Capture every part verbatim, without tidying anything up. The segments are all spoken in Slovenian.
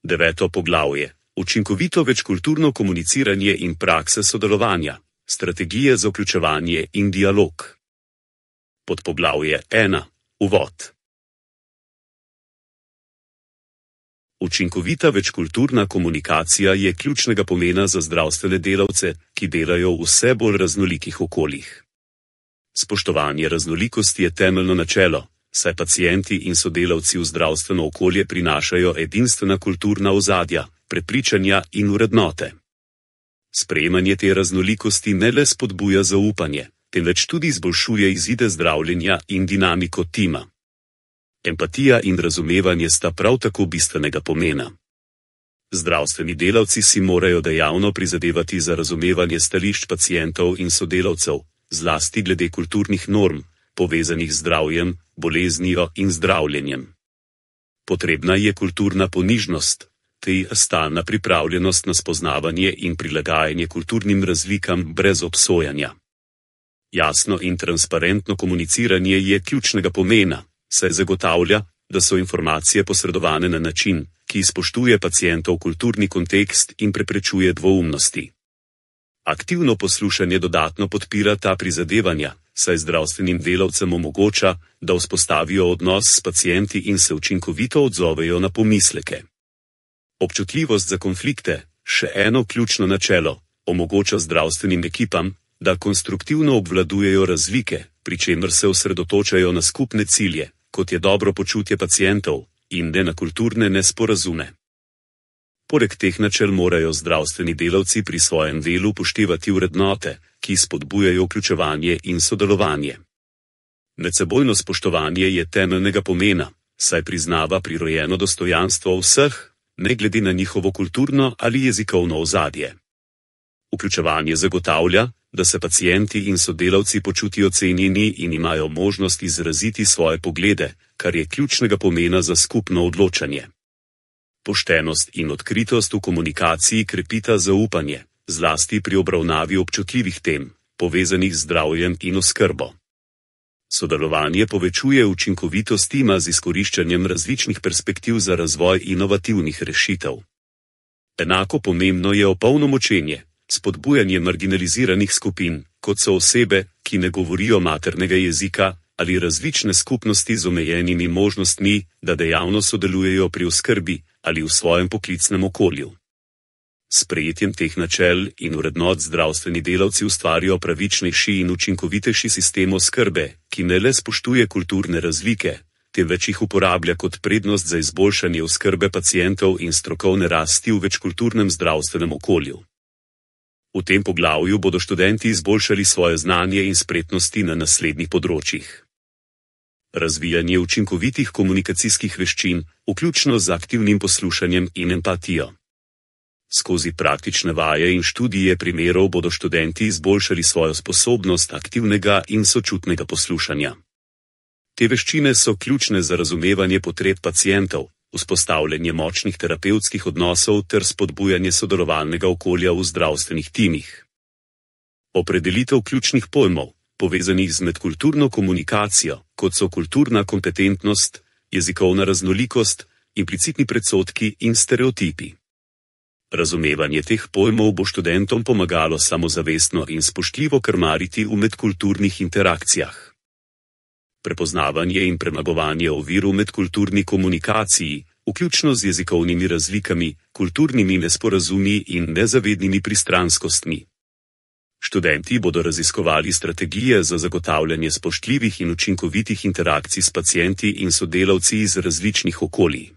Deveto poglavje. Učinkovito večkulturno komuniciranje in prakse sodelovanja. Strategije za vključevanje in dialog. Podpoglavje ena. Uvod. Učinkovita večkulturna komunikacija je ključnega pomena za zdravstvene delavce, ki delajo v vse bolj raznolikih okoljih. Spoštovanje raznolikosti je temeljno načelo, saj pacienti in sodelavci v zdravstveno okolje prinašajo edinstvena kulturna ozadja, prepričanja in vrednote. Sprejemanje te raznolikosti ne le spodbuja zaupanje, temveč tudi izboljšuje izide zdravljenja in dinamiko tima. Empatija in razumevanje sta prav tako bistvenega pomena. Zdravstveni delavci si morajo dejavno prizadevati za razumevanje stališč pacientov in sodelavcev, zlasti glede kulturnih norm, povezanih z zdravjem, boleznijo in zdravljenjem. Potrebna je kulturna ponižnost, te stalna pripravljenost na spoznavanje in prilagajanje kulturnim razlikam brez obsojanja. Jasno in transparentno komuniciranje je ključnega pomena, saj zagotavlja, da so informacije posredovane na način, ki spoštuje pacientov kulturni kontekst in preprečuje dvoumnosti. Aktivno poslušanje dodatno podpira ta prizadevanja, saj zdravstvenim delavcem omogoča, da vzpostavijo odnos s pacienti in se učinkovito odzovejo na pomisleke. Občutljivost za konflikte, še eno ključno načelo, omogoča zdravstvenim ekipam, da konstruktivno obvladujejo razlike, pri čemer se osredotočajo na skupne cilje, kot je dobro počutje pacientov, in ne na kulturne nesporazume. Poleg teh načel morajo zdravstveni delavci pri svojem delu upoštevati vrednote, ki spodbujajo vključevanje in sodelovanje. Medsebojno spoštovanje je temeljnega pomena, saj priznava prirojeno dostojanstvo vseh, ne glede na njihovo kulturno ali jezikovno ozadje. Vključevanje zagotavlja, da se pacienti in sodelavci počutijo cenjeni in imajo možnost izraziti svoje poglede, kar je ključnega pomena za skupno odločanje. Poštenost in odkritost v komunikaciji krepita zaupanje, zlasti pri obravnavi občutljivih tem, povezanih z zdravjem in oskrbo. Sodelovanje povečuje učinkovitost tima z izkoriščanjem različnih perspektiv za razvoj inovativnih rešitev. Enako pomembno je opolnomočenje, spodbujanje marginaliziranih skupin, kot so osebe, ki ne govorijo maternega jezika, ali različne skupnosti z omejenimi možnostmi, da dejavno sodelujejo pri oskrbi ali v svojem poklicnem okolju. S sprejetjem teh načel in vrednot zdravstveni delavci ustvarijo pravičnejši in učinkovitejši sistem oskrbe, ki ne le spoštuje kulturne razlike, temveč jih uporablja kot prednost za izboljšanje oskrbe pacientov in strokovne rasti v večkulturnem zdravstvenem okolju. V tem poglavju bodo študenti izboljšali svoje znanje in spretnosti na naslednjih področjih. Razvijanje učinkovitih komunikacijskih veščin, vključno z aktivnim poslušanjem in empatijo. Skozi praktične vaje in študije primerov bodo študenti izboljšali svojo sposobnost aktivnega in sočutnega poslušanja. Te veščine so ključne za razumevanje potreb pacientov, vzpostavljanje močnih terapevtskih odnosov ter spodbujanje sodelovalnega okolja v zdravstvenih timih. Opredelitev ključnih pojmov, povezanih z medkulturno komunikacijo, kot so kulturna kompetentnost, jezikovna raznolikost, implicitni predsodki in stereotipi. Razumevanje teh pojmov bo študentom pomagalo samozavestno in spoštljivo krmariti v medkulturnih interakcijah. Prepoznavanje in premagovanje ovir v medkulturni komunikaciji, vključno z jezikovnimi razlikami, kulturnimi nesporazumi in nezavednimi pristranskostmi. Študenti bodo raziskovali strategije za zagotavljanje spoštljivih in učinkovitih interakcij s pacienti in sodelavci iz različnih okolij.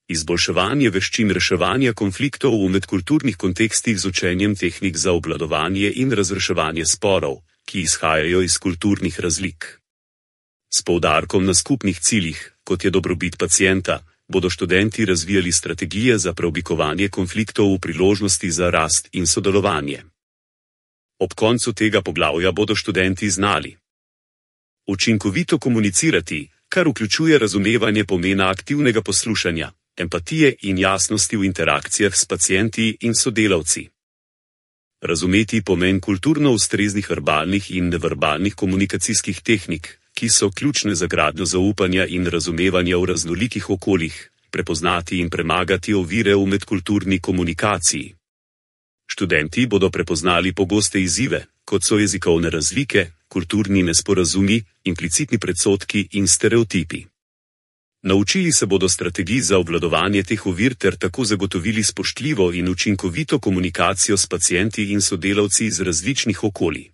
Izboljševanje veščin reševanja konfliktov v medkulturnih kontekstih z učenjem tehnik za obvladovanje in razreševanje sporov, ki izhajajo iz kulturnih razlik. S poudarkom na skupnih ciljih, kot je dobrobit pacienta, bodo študenti razvijali strategije za preoblikovanje konfliktov v priložnosti za rast in sodelovanje. Ob koncu tega poglavja bodo študenti znali učinkovito komunicirati, kar vključuje razumevanje pomena aktivnega poslušanja, empatije in jasnosti v interakcijah s pacienti in sodelavci. Razumeti pomen kulturno ustreznih verbalnih in neverbalnih komunikacijskih tehnik, ki so ključne za gradnjo zaupanja in razumevanja v raznolikih okoljih, prepoznati in premagati ovire v medkulturni komunikaciji. Študenti bodo prepoznali pogoste izzive, kot so jezikovne razlike, kulturni nesporazumi, implicitni predsodki in stereotipi. Naučili se bodo strategij za obvladovanje teh ovir ter tako zagotovili spoštljivo in učinkovito komunikacijo s pacienti in sodelavci iz različnih okolij.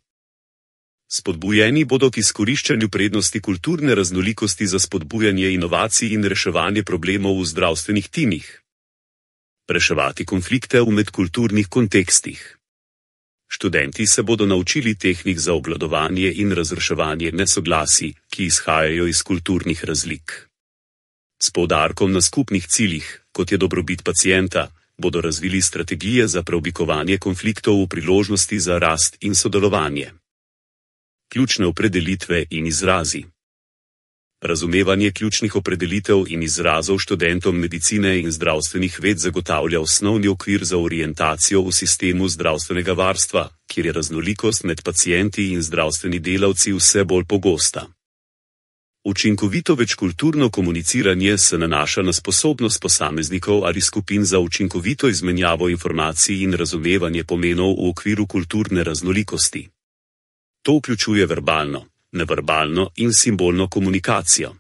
Spodbujeni bodo k izkoriščanju prednosti kulturne raznolikosti za spodbujanje inovacij in reševanje problemov v zdravstvenih timih. Reševati konflikte v medkulturnih kontekstih. Študenti se bodo naučili tehnik za obvladovanje in razreševanje nesoglasij, ki izhajajo iz kulturnih razlik. S poudarkom na skupnih ciljih, kot je dobrobit pacienta, bodo razvili strategije za preoblikovanje konfliktov v priložnosti za rast in sodelovanje. Ključne opredelitve in izrazi. Razumevanje ključnih opredelitev in izrazov študentom medicine in zdravstvenih ved zagotavlja osnovni okvir za orientacijo v sistemu zdravstvenega varstva, kjer je raznolikost med pacienti in zdravstveni delavci vse bolj pogosta. Učinkovito večkulturno komuniciranje se nanaša na sposobnost posameznikov ali skupin za učinkovito izmenjavo informacij in razumevanje pomenov v okviru kulturne raznolikosti. To vključuje verbalno, neverbalno in simbolno komunikacijo.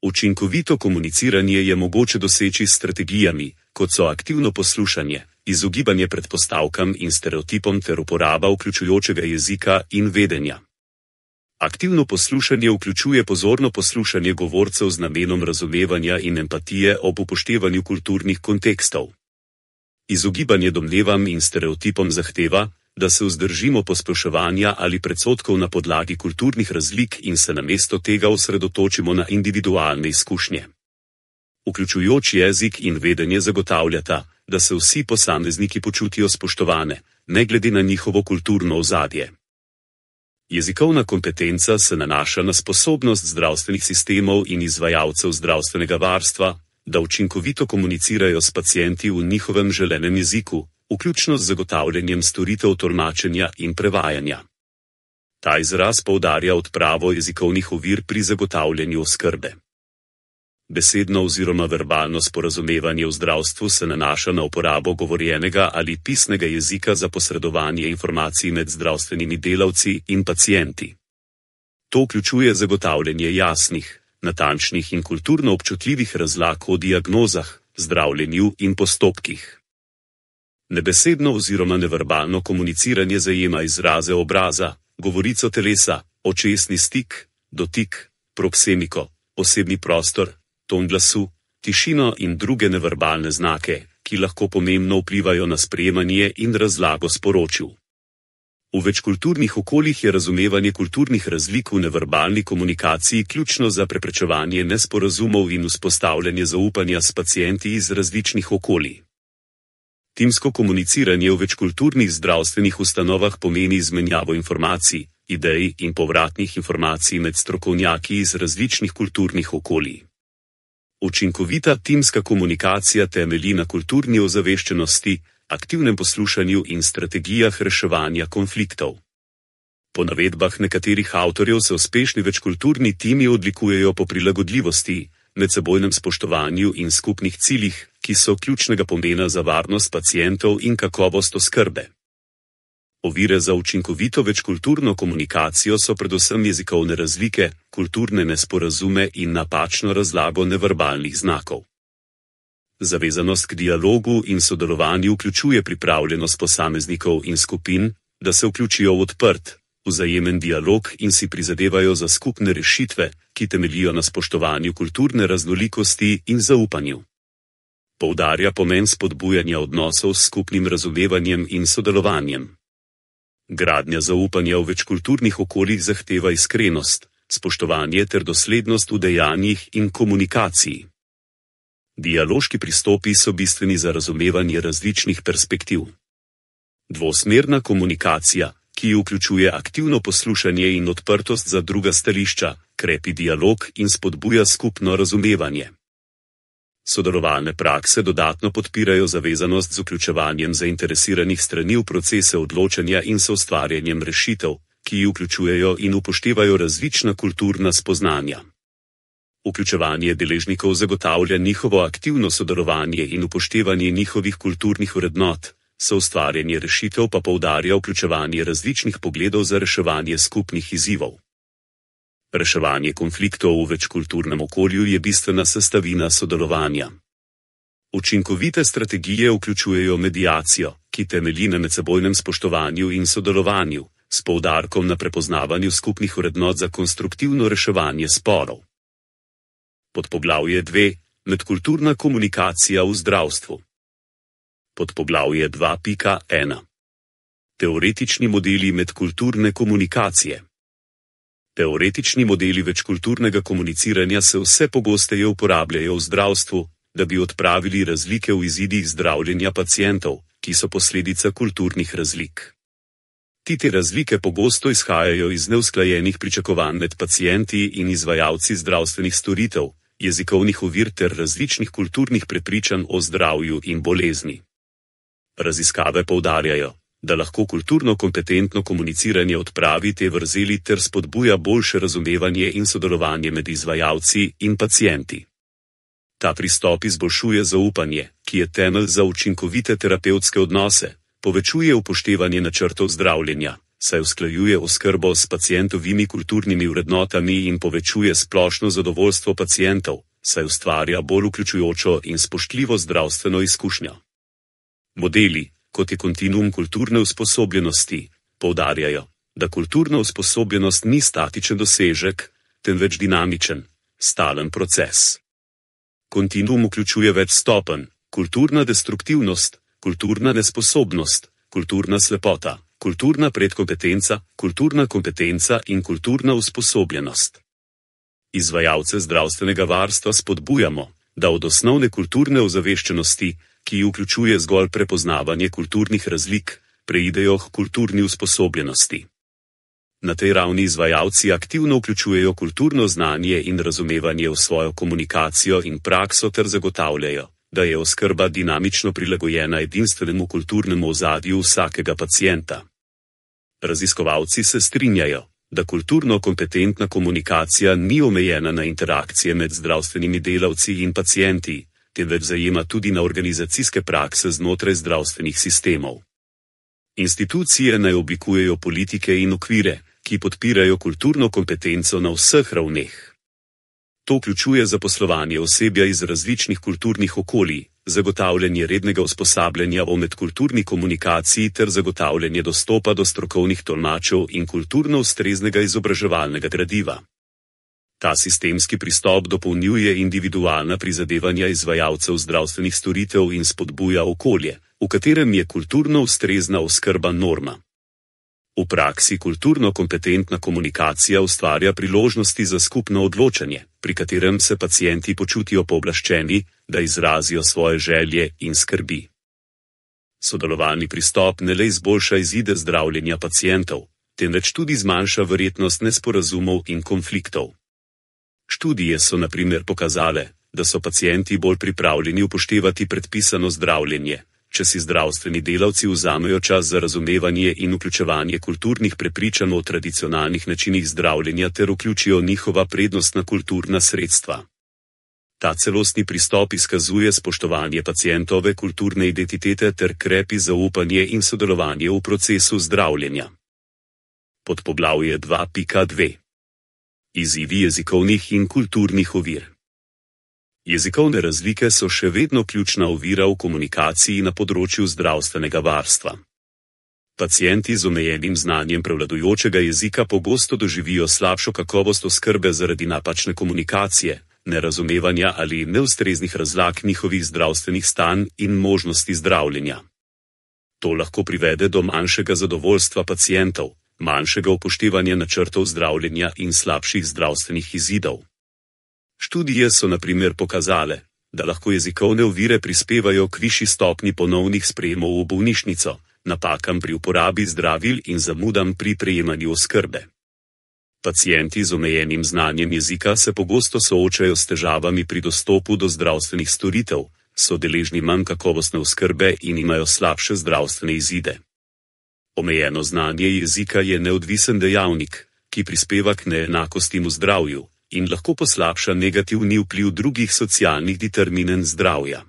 Učinkovito komuniciranje je mogoče doseči s strategijami, kot so aktivno poslušanje, izogibanje predpostavkam in stereotipom ter uporaba vključujočega jezika in vedenja. Aktivno poslušanje vključuje pozorno poslušanje govorcev z namenom razumevanja in empatije ob upoštevanju kulturnih kontekstov. Izogibanje domnevam in stereotipom zahteva, da se vzdržimo posploševanja ali predsodkov na podlagi kulturnih razlik in se namesto tega osredotočimo na individualne izkušnje. Vključujoč jezik in vedenje zagotavljata, da se vsi posamezniki počutijo spoštovane, ne glede na njihovo kulturno ozadje. Jezikovna kompetenca se nanaša na sposobnost zdravstvenih sistemov in izvajalcev zdravstvenega varstva, da učinkovito komunicirajo s pacienti v njihovem želenem jeziku, vključno z zagotavljanjem storitev tolmačenja in prevajanja. Ta izraz poudarja odpravo jezikovnih ovir pri zagotavljanju oskrbe. Besedno oziroma verbalno sporazumevanje v zdravstvu se nanaša na uporabo govorjenega ali pisnega jezika za posredovanje informacij med zdravstvenimi delavci in pacienti. To vključuje zagotavljanje jasnih, natančnih in kulturno občutljivih razlag o diagnozah, zdravljenju in postopkih. Nebesedno oziroma neverbalno komuniciranje zajema izraze obraza, govorico telesa, očesni stik, dotik, proksemiko, osebni prostor, ton glasu, tišino in druge neverbalne znake, ki lahko pomembno vplivajo na sprejemanje in razlago sporočil. V večkulturnih okoljih je razumevanje kulturnih razlik v neverbalni komunikaciji ključno za preprečevanje nesporazumov in vzpostavljanje zaupanja s pacienti iz različnih okolij. Timsko komuniciranje v večkulturnih zdravstvenih ustanovah pomeni izmenjavo informacij, idej in povratnih informacij med strokovnjaki iz različnih kulturnih okolij. Učinkovita timska komunikacija temelji na kulturni ozaveščenosti, aktivnem poslušanju in strategijah reševanja konfliktov. Po navedbah nekaterih avtorjev se uspešni večkulturni timi odlikujejo po prilagodljivosti, medsebojnem spoštovanju in skupnih ciljih, ki so ključnega pomena za varnost pacientov in kakovost oskrbe. Ovire za učinkovito večkulturno komunikacijo so predvsem jezikovne razlike, kulturne nesporazume in napačno razlago neverbalnih znakov. Zavezanost k dialogu in sodelovanju vključuje pripravljenost posameznikov in skupin, da se vključijo v odprt, vzajemen dialog in si prizadevajo za skupne rešitve, ki temeljijo na spoštovanju kulturne raznolikosti in zaupanju. Poudarja pomen spodbujanja odnosov s skupnim razumevanjem in sodelovanjem. Gradnja zaupanja v večkulturnih okoljih zahteva iskrenost, spoštovanje ter doslednost v dejanjih in komunikaciji. Dialoški pristopi so bistveni za razumevanje različnih perspektiv. Dvosmerna komunikacija, ki vključuje aktivno poslušanje in odprtost za druga stališča, krepi dialog in spodbuja skupno razumevanje. Sodelovalne prakse dodatno podpirajo zavezanost z vključevanjem zainteresiranih strani v procese odločanja in soustvarjanjem rešitev, ki vključujejo in upoštevajo različna kulturna spoznanja. Vključevanje deležnikov zagotavlja njihovo aktivno sodelovanje in upoštevanje njihovih kulturnih vrednot, soustvarjanje rešitev pa poudarja vključevanje različnih pogledov za reševanje skupnih izzivov. Reševanje konfliktov v večkulturnem okolju je bistvena sestavina sodelovanja. Učinkovite strategije vključujejo mediacijo, ki temelji na medsebojnem spoštovanju in sodelovanju, s poudarkom na prepoznavanju skupnih vrednot za konstruktivno reševanje sporov. Podpoglavje dve. Medkulturna komunikacija v zdravstvu. Podpoglavje dva pika ena. Teoretični modeli medkulturne komunikacije. Teoretični modeli večkulturnega komuniciranja se vse pogosteje uporabljajo v zdravstvu, da bi odpravili razlike v izidih zdravljenja pacientov, ki so posledica kulturnih razlik. Ti te razlike pogosto izhajajo iz neusklajenih pričakovanj med pacienti in izvajalci zdravstvenih storitev, jezikovnih ovir ter različnih kulturnih prepričanj o zdravju in bolezni. Raziskave poudarjajo, da lahko kulturno kompetentno komuniciranje odpravi te vrzeli ter spodbuja boljše razumevanje in sodelovanje med izvajalci in pacienti. Ta pristop izboljšuje zaupanje, ki je temelj za učinkovite terapevtske odnose, povečuje upoštevanje načrtov zdravljenja, saj usklajuje oskrbo s pacientovimi kulturnimi vrednotami in povečuje splošno zadovoljstvo pacientov, saj ustvarja bolj vključujočo in spoštljivo zdravstveno izkušnjo. Modeli, kot je kontinuum kulturne usposobljenosti, poudarjajo, da kulturna usposobljenost ni statičen dosežek, temveč dinamičen, stalen proces. Kontinuum vključuje več stopenj: kulturna destruktivnost, kulturna nesposobnost, kulturna slepota, kulturna predkompetenca, kulturna kompetenca in kulturna usposobljenost. Izvajalce zdravstvenega varstva spodbujamo, da od osnovne kulturne ozaveščenosti, ki vključuje zgolj prepoznavanje kulturnih razlik, preidejo k kulturni usposobljenosti. Na tej ravni izvajalci aktivno vključujejo kulturno znanje in razumevanje v svojo komunikacijo in prakso ter zagotavljajo, da je oskrba dinamično prilagojena edinstvenemu kulturnemu ozadju vsakega pacienta. Raziskovalci se strinjajo, da kulturno kompetentna komunikacija ni omejena na interakcije med zdravstvenimi delavci in pacienti, temveč zajema tudi na organizacijske prakse znotraj zdravstvenih sistemov. Institucije naj oblikujejo politike in okvire, ki podpirajo kulturno kompetenco na vseh ravneh. To vključuje zaposlovanje osebja iz različnih kulturnih okolij, zagotavljanje rednega usposabljanja o medkulturni komunikaciji ter zagotavljanje dostopa do strokovnih tolmačev in kulturno ustreznega izobraževalnega gradiva. Ta sistemski pristop dopolnjuje individualna prizadevanja izvajalcev zdravstvenih storitev in spodbuja okolje, v katerem je kulturno ustrezna oskrba norma. V praksi kulturno kompetentna komunikacija ustvarja priložnosti za skupno odločanje, pri katerem se pacienti počutijo pooblaščeni, da izrazijo svoje želje in skrbi. Sodelovalni pristop ne le izboljša izide zdravljenja pacientov, temveč tudi zmanjša verjetnost nesporazumov in konfliktov. Študije so na primer pokazale, da so pacienti bolj pripravljeni upoštevati predpisano zdravljenje, če si zdravstveni delavci vzamejo čas za razumevanje in vključevanje kulturnih prepričanj o tradicionalnih načinih zdravljenja ter vključijo njihova prednostna kulturna sredstva. Ta celostni pristop izkazuje spoštovanje pacientove kulturne identitete ter krepi zaupanje in sodelovanje v procesu zdravljenja. Podpoglavje dva pika dve. Izzivi jezikovnih in kulturnih ovir. Jezikovne razlike so še vedno ključna ovira v komunikaciji na področju zdravstvenega varstva. Pacienti z omejenim znanjem prevladujočega jezika pogosto doživijo slabšo kakovost oskrbe zaradi napačne komunikacije, nerazumevanja ali neustreznih razlag njihovih zdravstvenih stanj in možnosti zdravljenja. To lahko privede do manjšega zadovoljstva pacientov, manjšega upoštevanja načrtov zdravljenja in slabših zdravstvenih izidov. Študije so na primer pokazale, da lahko jezikovne ovire prispevajo k višji stopnji ponovnih sprejemov v bolnišnico, napakam pri uporabi zdravil in zamudam pri prejemanju oskrbe. Pacienti z omejenim znanjem jezika se pogosto soočajo s težavami pri dostopu do zdravstvenih storitev, so deležni manj kakovostne oskrbe in imajo slabše zdravstvene izide. Omejeno znanje jezika je neodvisen dejavnik, ki prispeva k neenakostim v zdravju, in lahko poslabša negativni vpliv drugih socialnih determinant zdravja.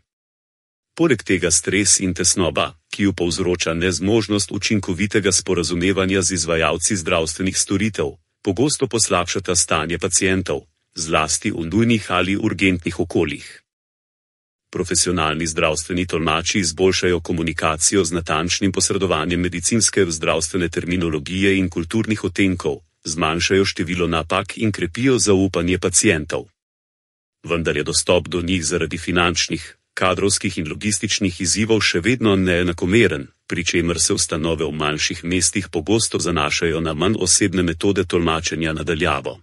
Poleg tega stres in tesnoba, ki ju povzroča nezmožnost učinkovitega sporazumevanja z izvajalci zdravstvenih storitev, pogosto poslabšata stanje pacientov, zlasti v nujnih ali urgentnih okoljih. Profesionalni zdravstveni tolmači izboljšajo komunikacijo z natančnim posredovanjem medicinske zdravstvene terminologije in kulturnih odtenkov, zmanjšajo število napak in krepijo zaupanje pacientov. Vendar je dostop do njih zaradi finančnih, kadrovskih in logističnih izzivov še vedno neenakomeren, pri čemer se ustanove v manjših mestih pogosto zanašajo na manj osebne metode tolmačenja na daljavo.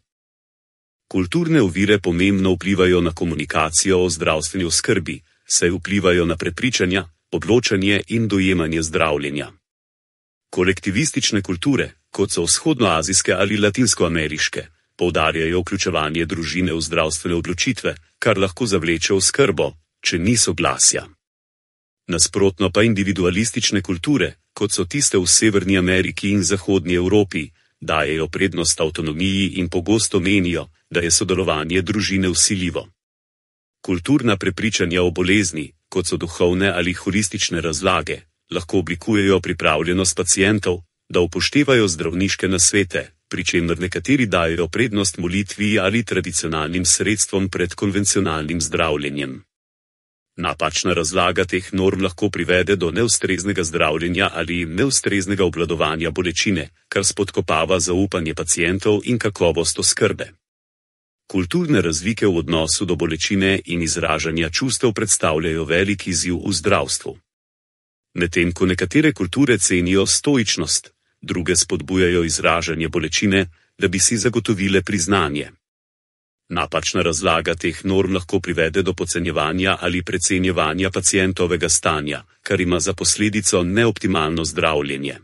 Kulturne ovire pomembno vplivajo na komunikacijo o zdravstveni oskrbi, saj vplivajo na prepričanja, odločanje in dojemanje zdravljenja. Kolektivistične kulture, kot so vzhodnoazijske ali latinskoameriške, poudarjajo vključevanje družine v zdravstvene odločitve, kar lahko zavleče oskrbo, če ni soglasja. Nasprotno pa individualistične kulture, kot so tiste v Severni Ameriki in Zahodnji Evropi, dajejo prednost avtonomiji in pogosto menijo, da je sodelovanje družine vsiljivo. Kulturna prepričanja o bolezni, kot so duhovne ali holistične razlage, lahko oblikujejo pripravljenost pacientov, da upoštevajo zdravniške nasvete, pri čemer nekateri dajejo prednost molitvi ali tradicionalnim sredstvom pred konvencionalnim zdravljenjem. Napačna razlaga teh norm lahko privede do neustreznega zdravljenja ali neustreznega obvladovanja bolečine, kar spodkopava zaupanje pacientov in kakovost oskrbe. Kulturne razlike v odnosu do bolečine in izražanja čustev predstavljajo velik izziv v zdravstvu. Medtem ko nekatere kulture cenijo stoičnost, druge spodbujajo izražanje bolečine, da bi si zagotovile priznanje. Napačna razlaga teh norm lahko privede do podcenjevanja ali precenjevanja pacientovega stanja, kar ima za posledico neoptimalno zdravljenje.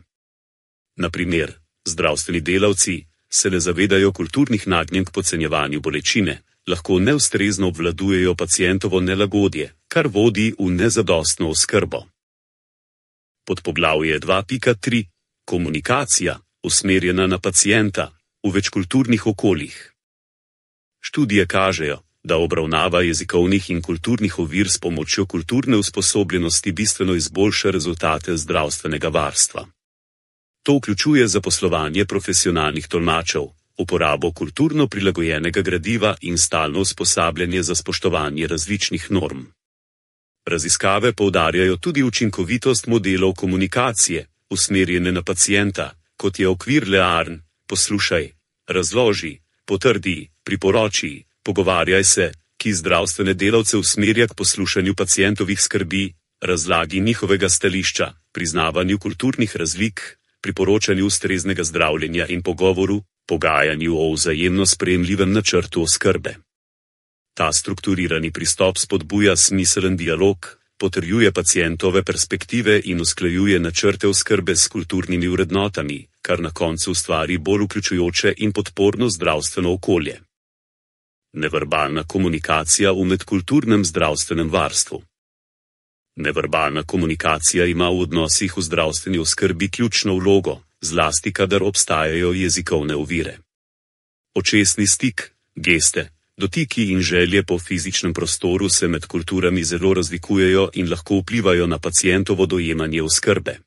Na primer, zdravstveni delavci se ne zavedajo kulturnih nagnjenj k podcenjevanju bolečine, lahko neustrezno obvladujejo pacientovo nelagodje, kar vodi v nezadostno oskrbo. Podpoglavje dva pika tri. Komunikacija, usmerjena na pacienta, v večkulturnih okoljih. Študije kažejo, da obravnava jezikovnih in kulturnih ovir s pomočjo kulturne usposobljenosti bistveno izboljša rezultate zdravstvenega varstva. To vključuje zaposlovanje profesionalnih tolmačev, uporabo kulturno prilagojenega gradiva in stalno usposabljanje za spoštovanje različnih norm. Raziskave poudarjajo tudi učinkovitost modelov komunikacije, usmerjene na pacienta, kot je okvir Learn, poslušaj, razloži, potrdi, priporoči, pogovarjaj se, ki zdravstvene delavce usmerja k poslušanju pacientovih skrbi, razlagi njihovega stališča, priznavanju kulturnih razlik, priporočanju ustreznega zdravljenja in pogovoru, pogajanju o vzajemno sprejemljivem načrtu oskrbe. Ta strukturirani pristop spodbuja smiselen dialog, potrjuje pacientove perspektive in usklajuje načrte oskrbe s kulturnimi vrednotami, kar na koncu ustvari bolj vključujoče in podporno zdravstveno okolje. Neverbalna komunikacija v medkulturnem zdravstvenem varstvu. Neverbalna komunikacija ima v odnosih v zdravstveni oskrbi ključno vlogo, zlasti kadar obstajajo jezikovne ovire. Očesni stik, geste, dotiki in želje po fizičnem prostoru se med kulturami zelo razlikujejo in lahko vplivajo na pacientovo dojemanje oskrbe.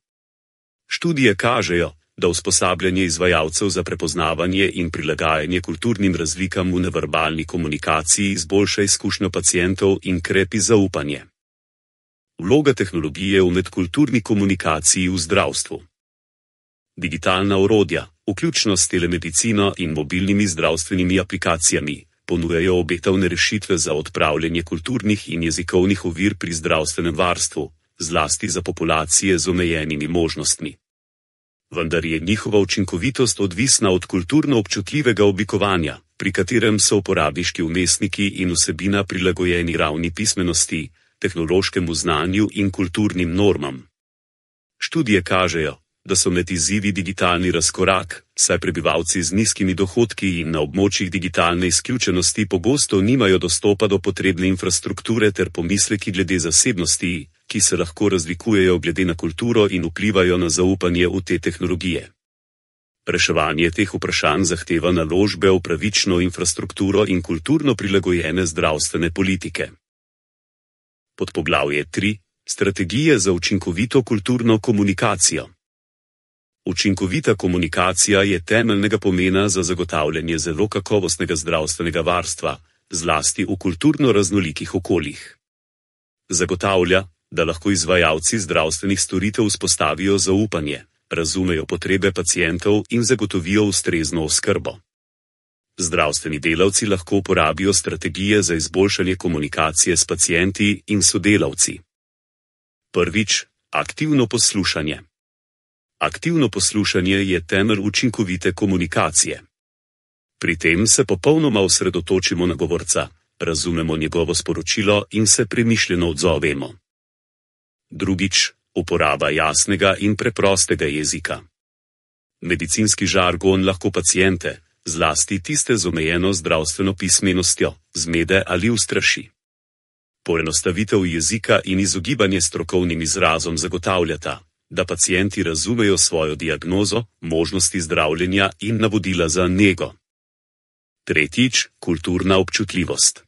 Študije kažejo, da usposabljanje izvajalcev za prepoznavanje in prilagajanje kulturnim razlikam v neverbalni komunikaciji izboljša izkušnjo pacientov in krepi zaupanje. Vloga tehnologije v medkulturni komunikaciji v zdravstvu. Digitalna orodja, vključno s telemedicino in mobilnimi zdravstvenimi aplikacijami, ponujajo obetavne rešitve za odpravljanje kulturnih in jezikovnih ovir pri zdravstvenem varstvu, zlasti za populacije z omejenimi možnostmi. Vendar je njihova učinkovitost odvisna od kulturno občutljivega oblikovanja, pri katerem so uporabniški vmesniki in vsebina prilagojeni ravni pismenosti, tehnološkemu znanju in kulturnim normam. Študije kažejo, da so med izzivi digitalni razkorak, saj prebivalci z nizkimi dohodki in na območjih digitalne izključenosti pogosto nimajo dostopa do potrebne infrastrukture ter pomisleki glede zasebnosti, ki se lahko razlikujejo glede na kulturo in vplivajo na zaupanje v te tehnologije. Reševanje teh vprašanj zahteva naložbe v pravično infrastrukturo in kulturno prilagojene zdravstvene politike. Podpoglavje tri. Strategije za učinkovito kulturno komunikacijo. Učinkovita komunikacija je temeljnega pomena za zagotavljanje zelo kakovostnega zdravstvenega varstva, zlasti v kulturno raznolikih okoljih. Zagotavlja, da lahko izvajalci zdravstvenih storitev vzpostavijo zaupanje, razumejo potrebe pacientov in zagotovijo ustrezno oskrbo. Zdravstveni delavci lahko uporabijo strategije za izboljšanje komunikacije s pacienti in sodelavci. Prvič, aktivno poslušanje. Aktivno poslušanje je temelj učinkovite komunikacije. Pri tem se popolnoma osredotočimo na govorca, razumemo njegovo sporočilo in se premišljeno odzovemo. Drugič, uporaba jasnega in preprostega jezika. Medicinski žargon lahko paciente, zlasti tiste z omejeno zdravstveno pismenostjo, zmede ali ustraši. Poenostavitev jezika in izogibanje strokovnim izrazom zagotavljata, da pacienti razumejo svojo diagnozo, možnosti zdravljenja in navodila za nego. Tretjič, kulturna občutljivost.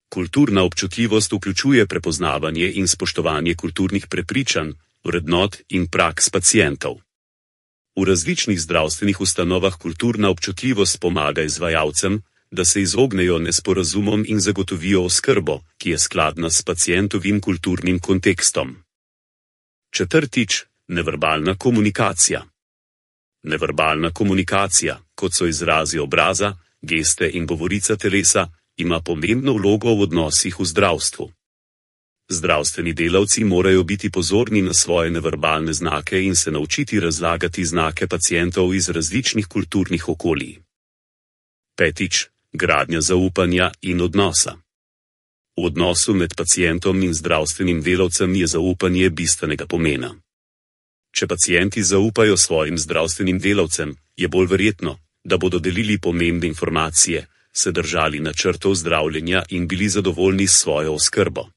Kulturna občutljivost vključuje prepoznavanje in spoštovanje kulturnih prepričanj, vrednot in praks pacientov. V različnih zdravstvenih ustanovah kulturna občutljivost pomaga izvajalcem, da se izognejo nesporazumom in zagotovijo oskrbo, ki je skladna s pacientovim kulturnim kontekstom. Četrtič, neverbalna komunikacija. Neverbalna komunikacija, kot so izrazi obraza, geste in govorica telesa, ima pomembno vlogo v odnosih v zdravstvu. Zdravstveni delavci morajo biti pozorni na svoje neverbalne znake in se naučiti razlagati znake pacientov iz različnih kulturnih okolij. Petič, gradnja zaupanja in odnosa. V odnosu med pacientom in zdravstvenim delavcem je zaupanje bistvenega pomena. Če pacienti zaupajo svojim zdravstvenim delavcem, je bolj verjetno, da bodo delili pomembne informacije, se držali načrtov zdravljenja in bili zadovoljni s svojo oskrbo.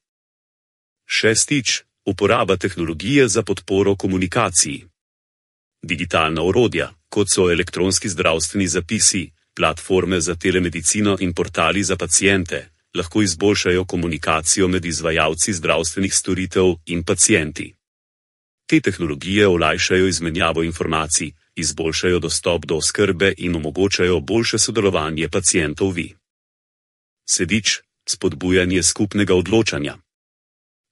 Šestič, uporaba tehnologije za podporo komunikaciji. Digitalna orodja, kot so elektronski zdravstveni zapisi, platforme za telemedicino in portali za paciente, lahko izboljšajo komunikacijo med izvajalci zdravstvenih storitev in pacienti. Te tehnologije olajšajo izmenjavo informacij, izboljšajo dostop do oskrbe in omogočajo boljše sodelovanje pacientov vi. Sedič, spodbujanje skupnega odločanja.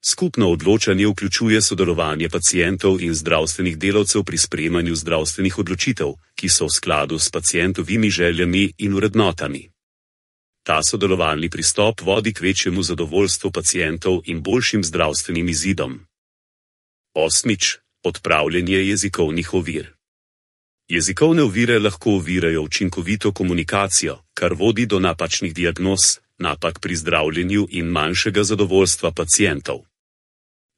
Skupno odločanje vključuje sodelovanje pacientov in zdravstvenih delavcev pri sprejemanju zdravstvenih odločitev, ki so v skladu s pacientovimi željami in vrednotami. Ta sodelovalni pristop vodi k večjemu zadovoljstvu pacientov in boljšim zdravstvenim izidom. Osmič, odpravljanje jezikovnih ovir. Jezikovne ovire lahko ovirajo učinkovito komunikacijo, kar vodi do napačnih diagnoz, napak pri zdravljenju in manjšega zadovoljstva pacientov.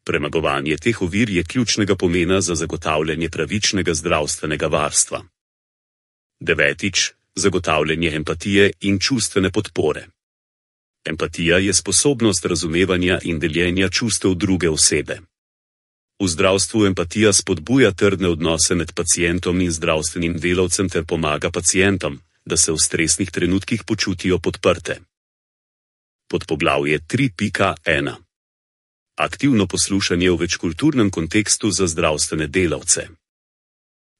Premagovanje teh ovir je ključnega pomena za zagotavljanje pravičnega zdravstvenega varstva. Devetič, zagotavljanje empatije in čustvene podpore. Empatija je sposobnost razumevanja in deljenja čustev druge osebe. V zdravstvu empatija spodbuja trdne odnose med pacientom in zdravstvenim delavcem ter pomaga pacientom, da se v stresnih trenutkih počutijo podprte. Podpoglavje tri pika ena. Aktivno poslušanje v večkulturnem kontekstu za zdravstvene delavce.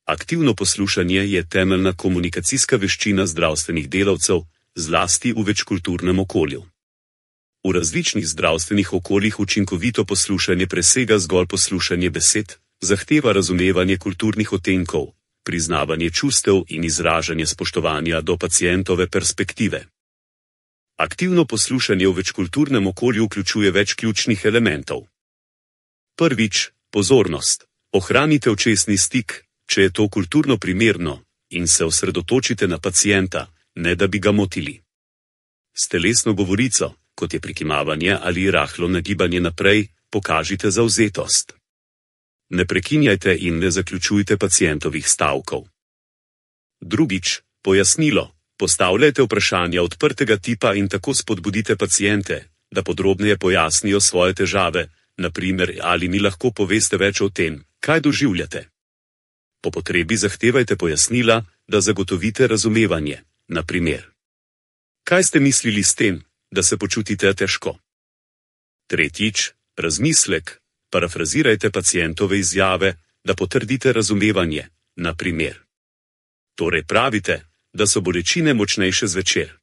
Aktivno poslušanje je temeljna komunikacijska veščina zdravstvenih delavcev, zlasti v večkulturnem okolju. V različnih zdravstvenih okoljih učinkovito poslušanje presega zgolj poslušanje besed, zahteva razumevanje kulturnih odtenkov, priznavanje čustev in izražanje spoštovanja do pacientove perspektive. Aktivno poslušanje v večkulturnem okolju vključuje več ključnih elementov. Prvič, pozornost. Ohranite očesni stik, če je to kulturno primerno, in se osredotočite na pacienta, ne da bi ga motili. S telesno govorico, kot je prikimavanje ali rahlo nagibanje naprej, pokažite zavzetost. Ne prekinjajte in ne zaključujte pacientovih stavkov. Drugič, pojasnilo. Postavljajte vprašanja odprtega tipa in tako spodbudite paciente, da podrobneje pojasnijo svoje težave, na primer, ali mi lahko poveste več o tem, kaj doživljate. Po potrebi zahtevajte pojasnila, da zagotovite razumevanje. Na primer: kaj ste mislili s tem, da se počutite težko? Tretjič, razmislek. Parafrazirajte pacientove izjave, da potrdite razumevanje. Na primer: torej pravite, da so bolečine močnejše zvečer.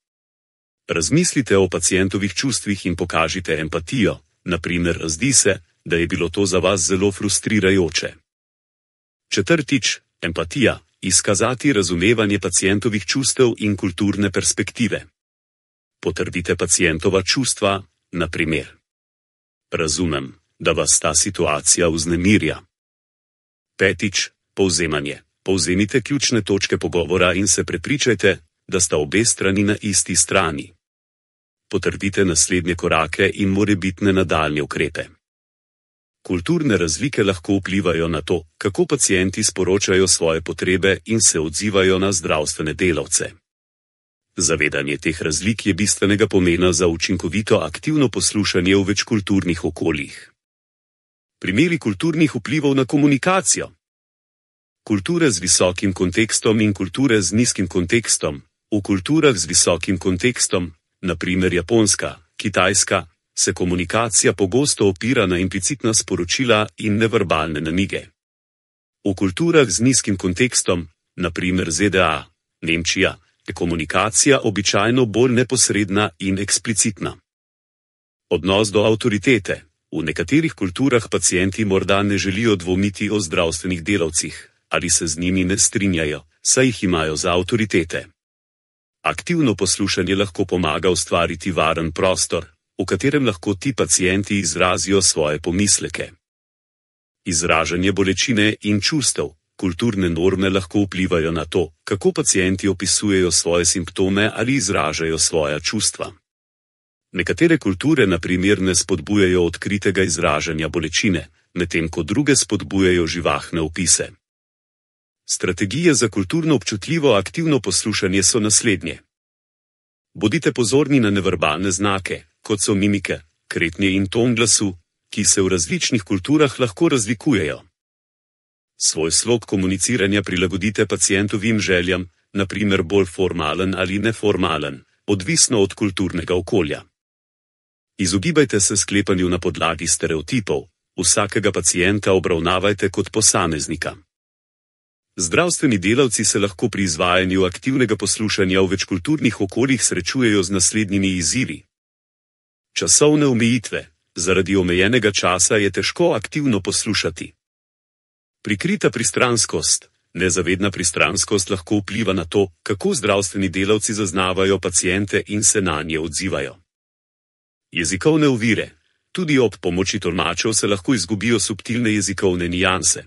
Razmislite o pacientovih čustvih in pokažite empatijo. Na primer, zdi se, da je bilo to za vas zelo frustrirajoče. Četrtič, empatija. Izkazati razumevanje pacientovih čustev in kulturne perspektive. Potrdite pacientova čustva. Na primer: razumem, da vas ta situacija vznemirja. Petič, povzemanje. Povzemite ključne točke pogovora in se prepričajte, da sta obe strani na isti strani. Potrdite naslednje korake in morebitne nadaljnje ukrepe. Kulturne razlike lahko vplivajo na to, kako pacienti sporočajo svoje potrebe in se odzivajo na zdravstvene delavce. Zavedanje teh razlik je bistvenega pomena za učinkovito aktivno poslušanje v večkulturnih okoljih. Primeri kulturnih vplivov na komunikacijo. Kulture z visokim kontekstom in kulture z nizkim kontekstom. V kulturah z visokim kontekstom, na primer Japonska, Kitajska, se komunikacija pogosto opira na implicitna sporočila in neverbalne namige. V kulturah z nizkim kontekstom, na primer Z D A, Nemčija, je komunikacija običajno bolj neposredna in eksplicitna. Odnos do avtoritete. V nekaterih kulturah pacienti morda ne želijo dvomiti o zdravstvenih delavcih, ali se z njimi ne strinjajo, saj jih imajo za avtoritete. Aktivno poslušanje lahko pomaga ustvariti varen prostor, v katerem lahko ti pacienti izrazijo svoje pomisleke. Izražanje bolečine in čustev. Kulturne norme lahko vplivajo na to, kako pacienti opisujejo svoje simptome ali izražajo svoja čustva. Nekatere kulture na primer ne spodbujajo odkritega izražanja bolečine, medtem ko druge spodbujajo živahne opise. Strategije za kulturno občutljivo aktivno poslušanje so naslednje. Bodite pozorni na neverbalne znake, kot so mimike, kretnje in ton glasu, ki se v različnih kulturah lahko razlikujejo. Svoj slog komuniciranja prilagodite pacientovim željam, na primer bolj formalen ali neformalen, odvisno od kulturnega okolja. Izogibajte se sklepanju na podlagi stereotipov, vsakega pacienta obravnavajte kot posameznika. Zdravstveni delavci se lahko pri izvajanju aktivnega poslušanja v večkulturnih okoljih srečujejo z naslednjimi izzivi. Časovne omejitve. Zaradi omejenega časa je težko aktivno poslušati. Prikrita pristranskost. Nezavedna pristranskost lahko vpliva na to, kako zdravstveni delavci zaznavajo paciente in se nanje odzivajo. Jezikovne ovire. Tudi ob pomoči tolmačev se lahko izgubijo subtilne jezikovne nianse.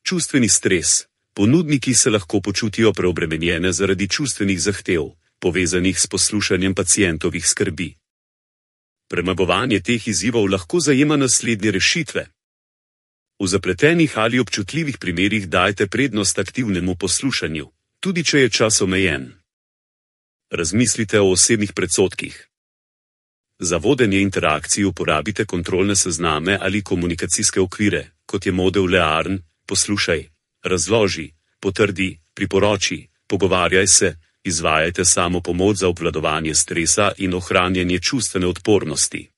Čustveni stres. Ponudniki se lahko počutijo preobremenjene zaradi čustvenih zahtev, povezanih s poslušanjem pacientovih skrbi. Premagovanje teh izzivov lahko zajema naslednje rešitve. V zapletenih ali občutljivih primerih dajte prednost aktivnemu poslušanju, tudi če je čas omejen. Razmislite o osebnih predsodkih. Za vodenje interakcij uporabite kontrolne sezname ali komunikacijske okvire, kot je model Learn, poslušaj, razloži, potrdi, priporoči, pogovarjaj se, izvajajte samo pomoč za obvladovanje stresa in ohranjanje čustvene odpornosti.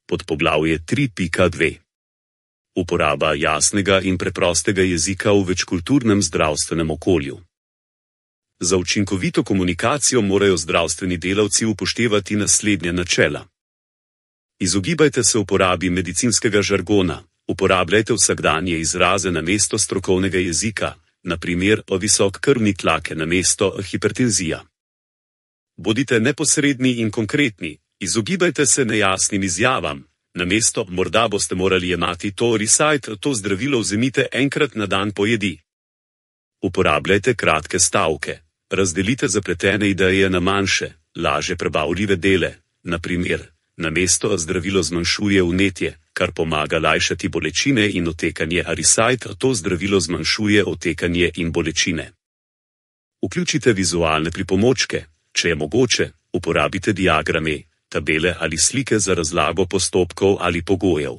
Podpoglavje tri pika dve. Uporaba jasnega in preprostega jezika v večkulturnem zdravstvenem okolju. Za učinkovito komunikacijo morajo zdravstveni delavci upoštevati naslednja načela. Izogibajte se uporabi medicinskega žargona, uporabljajte vsakdanje izraze namesto strokovnega jezika, na primer o visok krvni tlak namesto hipertenzija. Bodite neposredni in konkretni, izogibajte se nejasnim izjavam, namesto morda boste morali jemati to recite, to zdravilo vzemite enkrat na dan po jedi. Uporabljajte kratke stavke, razdelite zapletene ideje na manjše, lažje prebavljive dele, na primer, namesto zdravilo zmanjšuje vnetje, kar pomaga lajšati bolečine in otekanje, a recite, to zdravilo zmanjšuje otekanje in bolečine. Vključite vizualne pripomočke, če je mogoče, uporabite diagrame, tabele ali slike za razlago postopkov ali pogojev.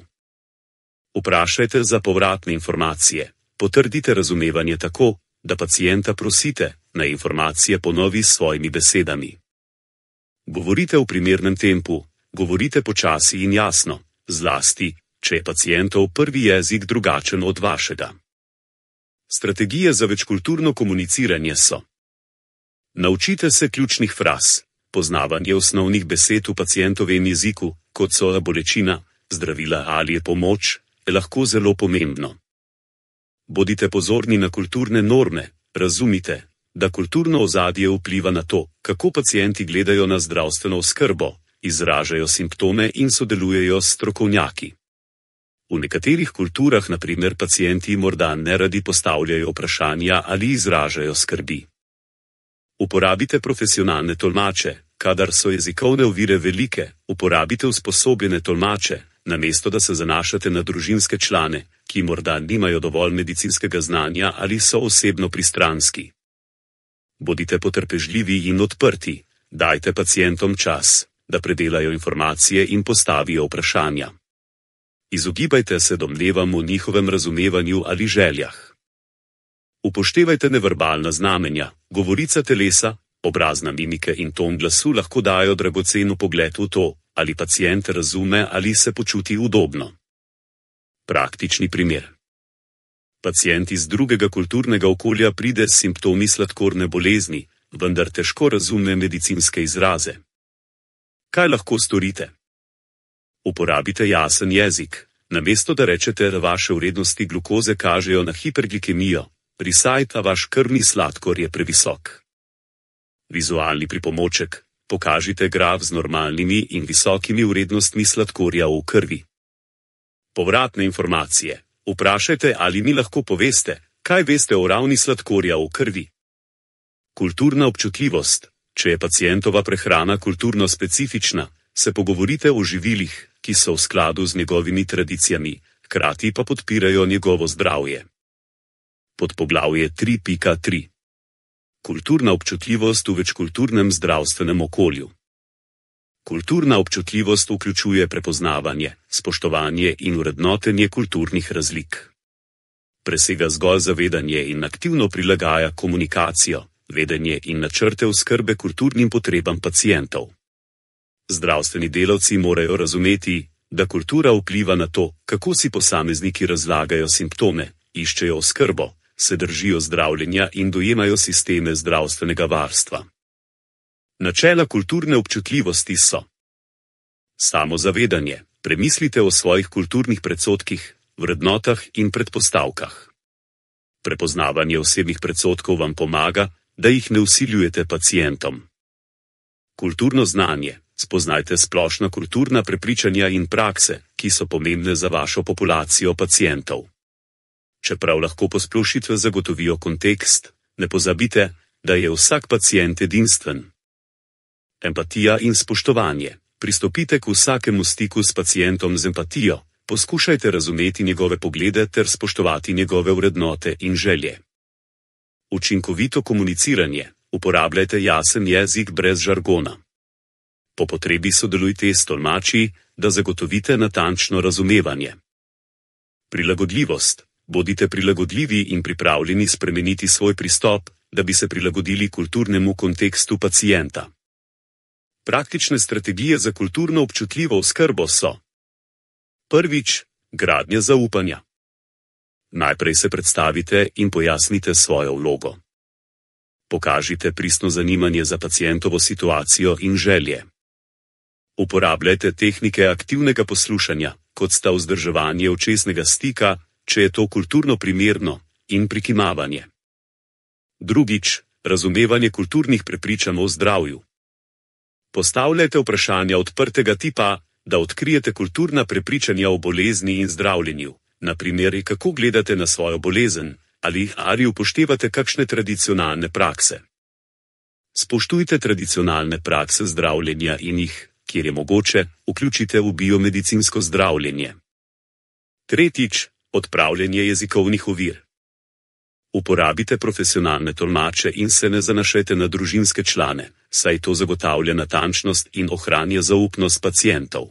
Vprašajte za povratne informacije, potrdite razumevanje tako, da pacienta prosite, naj informacije ponovi s svojimi besedami. Govorite v primernem tempu, govorite počasi in jasno, zlasti, če je pacientov prvi jezik drugačen od vašega. Strategije za večkulturno komuniciranje so: naučite se ključnih fraz, poznavanje osnovnih besed v pacientovem jeziku, kot so bolečina, zdravila ali je pomoč, je lahko zelo pomembno. Bodite pozorni na kulturne norme, razumite, da kulturno ozadje vpliva na to, kako pacienti gledajo na zdravstveno oskrbo, izražajo simptome in sodelujejo s strokovnjaki. V nekaterih kulturah, na primer, pacienti morda neradi postavljajo vprašanja ali izražajo skrbi. Uporabite profesionalne tolmače, kadar so jezikovne ovire velike, uporabite usposobljene tolmače, namesto da se zanašate na družinske člane, ki morda nimajo dovolj medicinskega znanja ali so osebno pristranski. Bodite potrpežljivi in odprti, dajte pacientom čas, da predelajo informacije in postavijo vprašanja. Izogibajte se domnevam o njihovem razumevanju ali željah. Upoštevajte neverbalna znamenja, govorica telesa, obrazna mimike in ton glasu lahko dajo dragocen vpogled v to, ali pacient razume ali se počuti udobno. Praktični primer. Pacient iz drugega kulturnega okolja pride s simptomi sladkorne bolezni, vendar težko razume medicinske izraze. Kaj lahko storite? Uporabite jasen jezik, namesto da rečete, da vaše vrednosti glukoze kažejo na hiperglikemijo, risajta vaš krvni sladkor je previsok. Vizualni pripomoček, pokažite graf z normalnimi in visokimi vrednostmi sladkorja v krvi. Povratne informacije, vprašajte, ali mi lahko poveste, kaj veste o ravni sladkorja v krvi. Kulturna občutljivost, če je pacientova prehrana kulturno specifična, se pogovorite o živilih, ki so v skladu z njegovimi tradicijami, hkrati pa podpirajo njegovo zdravje. Podpoglavje tri pika tri. Kulturna občutljivost v večkulturnem zdravstvenem okolju. Kulturna občutljivost vključuje prepoznavanje, spoštovanje in vrednotenje kulturnih razlik. Presega zgolj zavedanje in aktivno prilagaja komunikacijo, vedenje in načrte oskrbe kulturnim potrebam pacientov. Zdravstveni delavci morajo razumeti, da kultura vpliva na to, kako si posamezniki razlagajo simptome, iščejo oskrbo, se držijo zdravljenja in dojemajo sisteme zdravstvenega varstva. Načela kulturne občutljivosti so: samozavedanje, premislite o svojih kulturnih predsodkih, vrednotah in predpostavkah. Prepoznavanje osebnih predsodkov vam pomaga, da jih ne vsiljujete pacientom. Kulturno znanje, spoznajte splošna kulturna prepričanja in prakse, ki so pomembne za vašo populacijo pacientov. Čeprav lahko posplošitve zagotovijo kontekst, ne pozabite, da je vsak pacient edinstven. Empatija in spoštovanje. Pristopite k vsakemu stiku s pacientom z empatijo, poskušajte razumeti njegove poglede ter spoštovati njegove vrednote in želje. Učinkovito komuniciranje. Uporabljajte jasen jezik brez žargona. Po potrebi sodelujte s tolmači, da zagotovite natančno razumevanje. Prilagodljivost. Bodite prilagodljivi in pripravljeni spremeniti svoj pristop, da bi se prilagodili kulturnemu kontekstu pacienta. Praktične strategije za kulturno občutljivo oskrbo so: prvič, gradnja zaupanja. Najprej se predstavite in pojasnite svojo vlogo. Pokažite pristno zanimanje za pacientovo situacijo in želje. Uporabljajte tehnike aktivnega poslušanja, kot sta vzdrževanje očesnega stika, če je to kulturno primerno, in prikimavanje. Drugič, razumevanje kulturnih prepričanj o zdravju. Postavljajte vprašanja odprtega tipa, da odkrijete kulturna prepričanja o bolezni in zdravljenju, na primer, kako gledate na svojo bolezen, ali ali upoštevate kakšne tradicionalne prakse. Spoštujte tradicionalne prakse zdravljenja in jih, kjer je mogoče, vključite v biomedicinsko zdravljenje. Tretjič, odpravljanje jezikovnih ovir. Uporabite profesionalne tolmače in se ne zanašajte na družinske člane, saj to zagotavlja natančnost in ohranja zaupnost pacientov.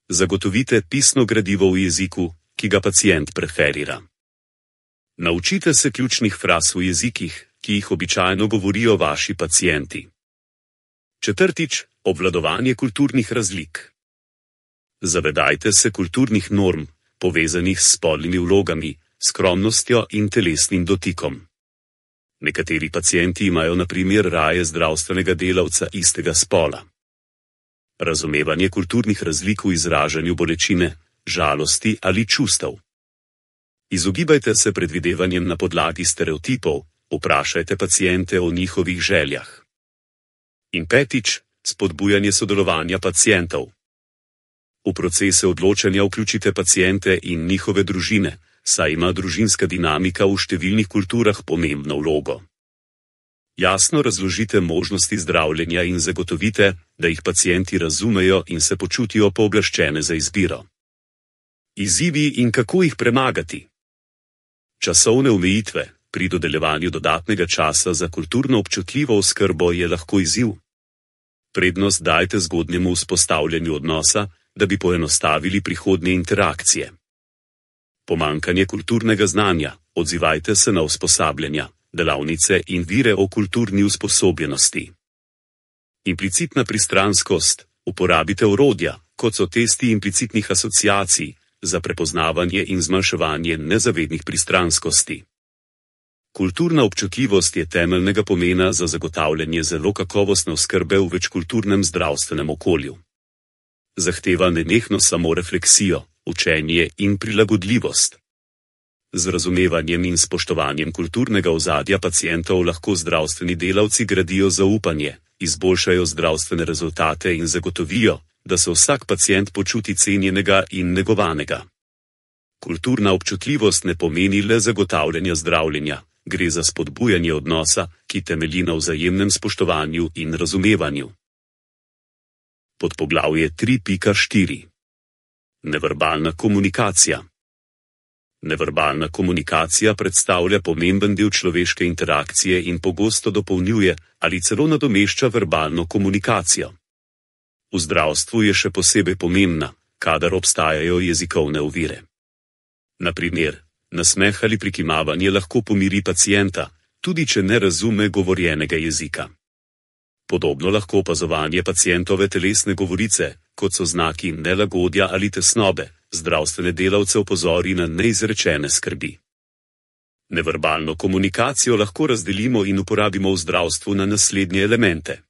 Zagotovite pisno gradivo v jeziku, ki ga pacient preferira. Naučite se ključnih fraz v jezikih, ki jih običajno govorijo vaši pacienti. Četrtič, obvladovanje kulturnih razlik. Zavedajte se kulturnih norm, povezanih s spolnimi vlogami, skromnostjo in telesnim dotikom. Nekateri pacienti imajo na primer raje zdravstvenega delavca istega spola. Razumevanje kulturnih razlik v izražanju bolečine, žalosti ali čustev. Izogibajte se predvidevanjem na podlagi stereotipov, vprašajte paciente o njihovih željah. In petič, spodbujanje sodelovanja pacientov. V procese odločanja vključite paciente in njihove družine, saj ima družinska dinamika v številnih kulturah pomembno vlogo. Jasno razložite možnosti zdravljenja in zagotovite, da jih pacienti razumejo in se počutijo pooblaščene za izbiro. Izzivi in kako jih premagati. Časovne omejitve pri dodeljevanju dodatnega časa za kulturno občutljivo oskrbo je lahko izziv. Prednost dajte zgodnjemu vzpostavljanju odnosa, da bi poenostavili prihodnje interakcije. Pomanjkanje kulturnega znanja, odzivajte se na usposabljanja, delavnice in vire o kulturni usposobljenosti. Implicitna pristranskost, uporabite orodja, kot so testi implicitnih asociacij, za prepoznavanje in zmanjševanje nezavednih pristranskosti. Kulturna občutljivost je temeljnega pomena za zagotavljanje zelo kakovostne oskrbe v večkulturnem zdravstvenem okolju. Zahteva nenehno samorefleksijo, učenje in prilagodljivost. Z razumevanjem in spoštovanjem kulturnega ozadja pacientov lahko zdravstveni delavci gradijo zaupanje, izboljšajo zdravstvene rezultate in zagotovijo, da se vsak pacient počuti cenjenega in negovanega. Kulturna občutljivost ne pomeni le zagotavljanja zdravljenja, gre za spodbujanje odnosa, ki temelji na vzajemnem spoštovanju in razumevanju. Podpoglavje tri pika štiri. Neverbalna komunikacija. Neverbalna komunikacija predstavlja pomemben del človeške interakcije in pogosto dopolnjuje ali celo nadomešča verbalno komunikacijo. V zdravstvu je še posebej pomembna, kadar obstajajo jezikovne ovire. Na primer, nasmeh ali prikimavanje lahko pomiri pacienta, tudi če ne razume govorjenega jezika. Podobno lahko opazovanje pacientove telesne govorice, kot so znaki nelagodja ali tesnobe, zdravstvene delavce opozori na neizrečene skrbi. Neverbalno komunikacijo lahko razdelimo in uporabimo v zdravstvu na naslednje elemente.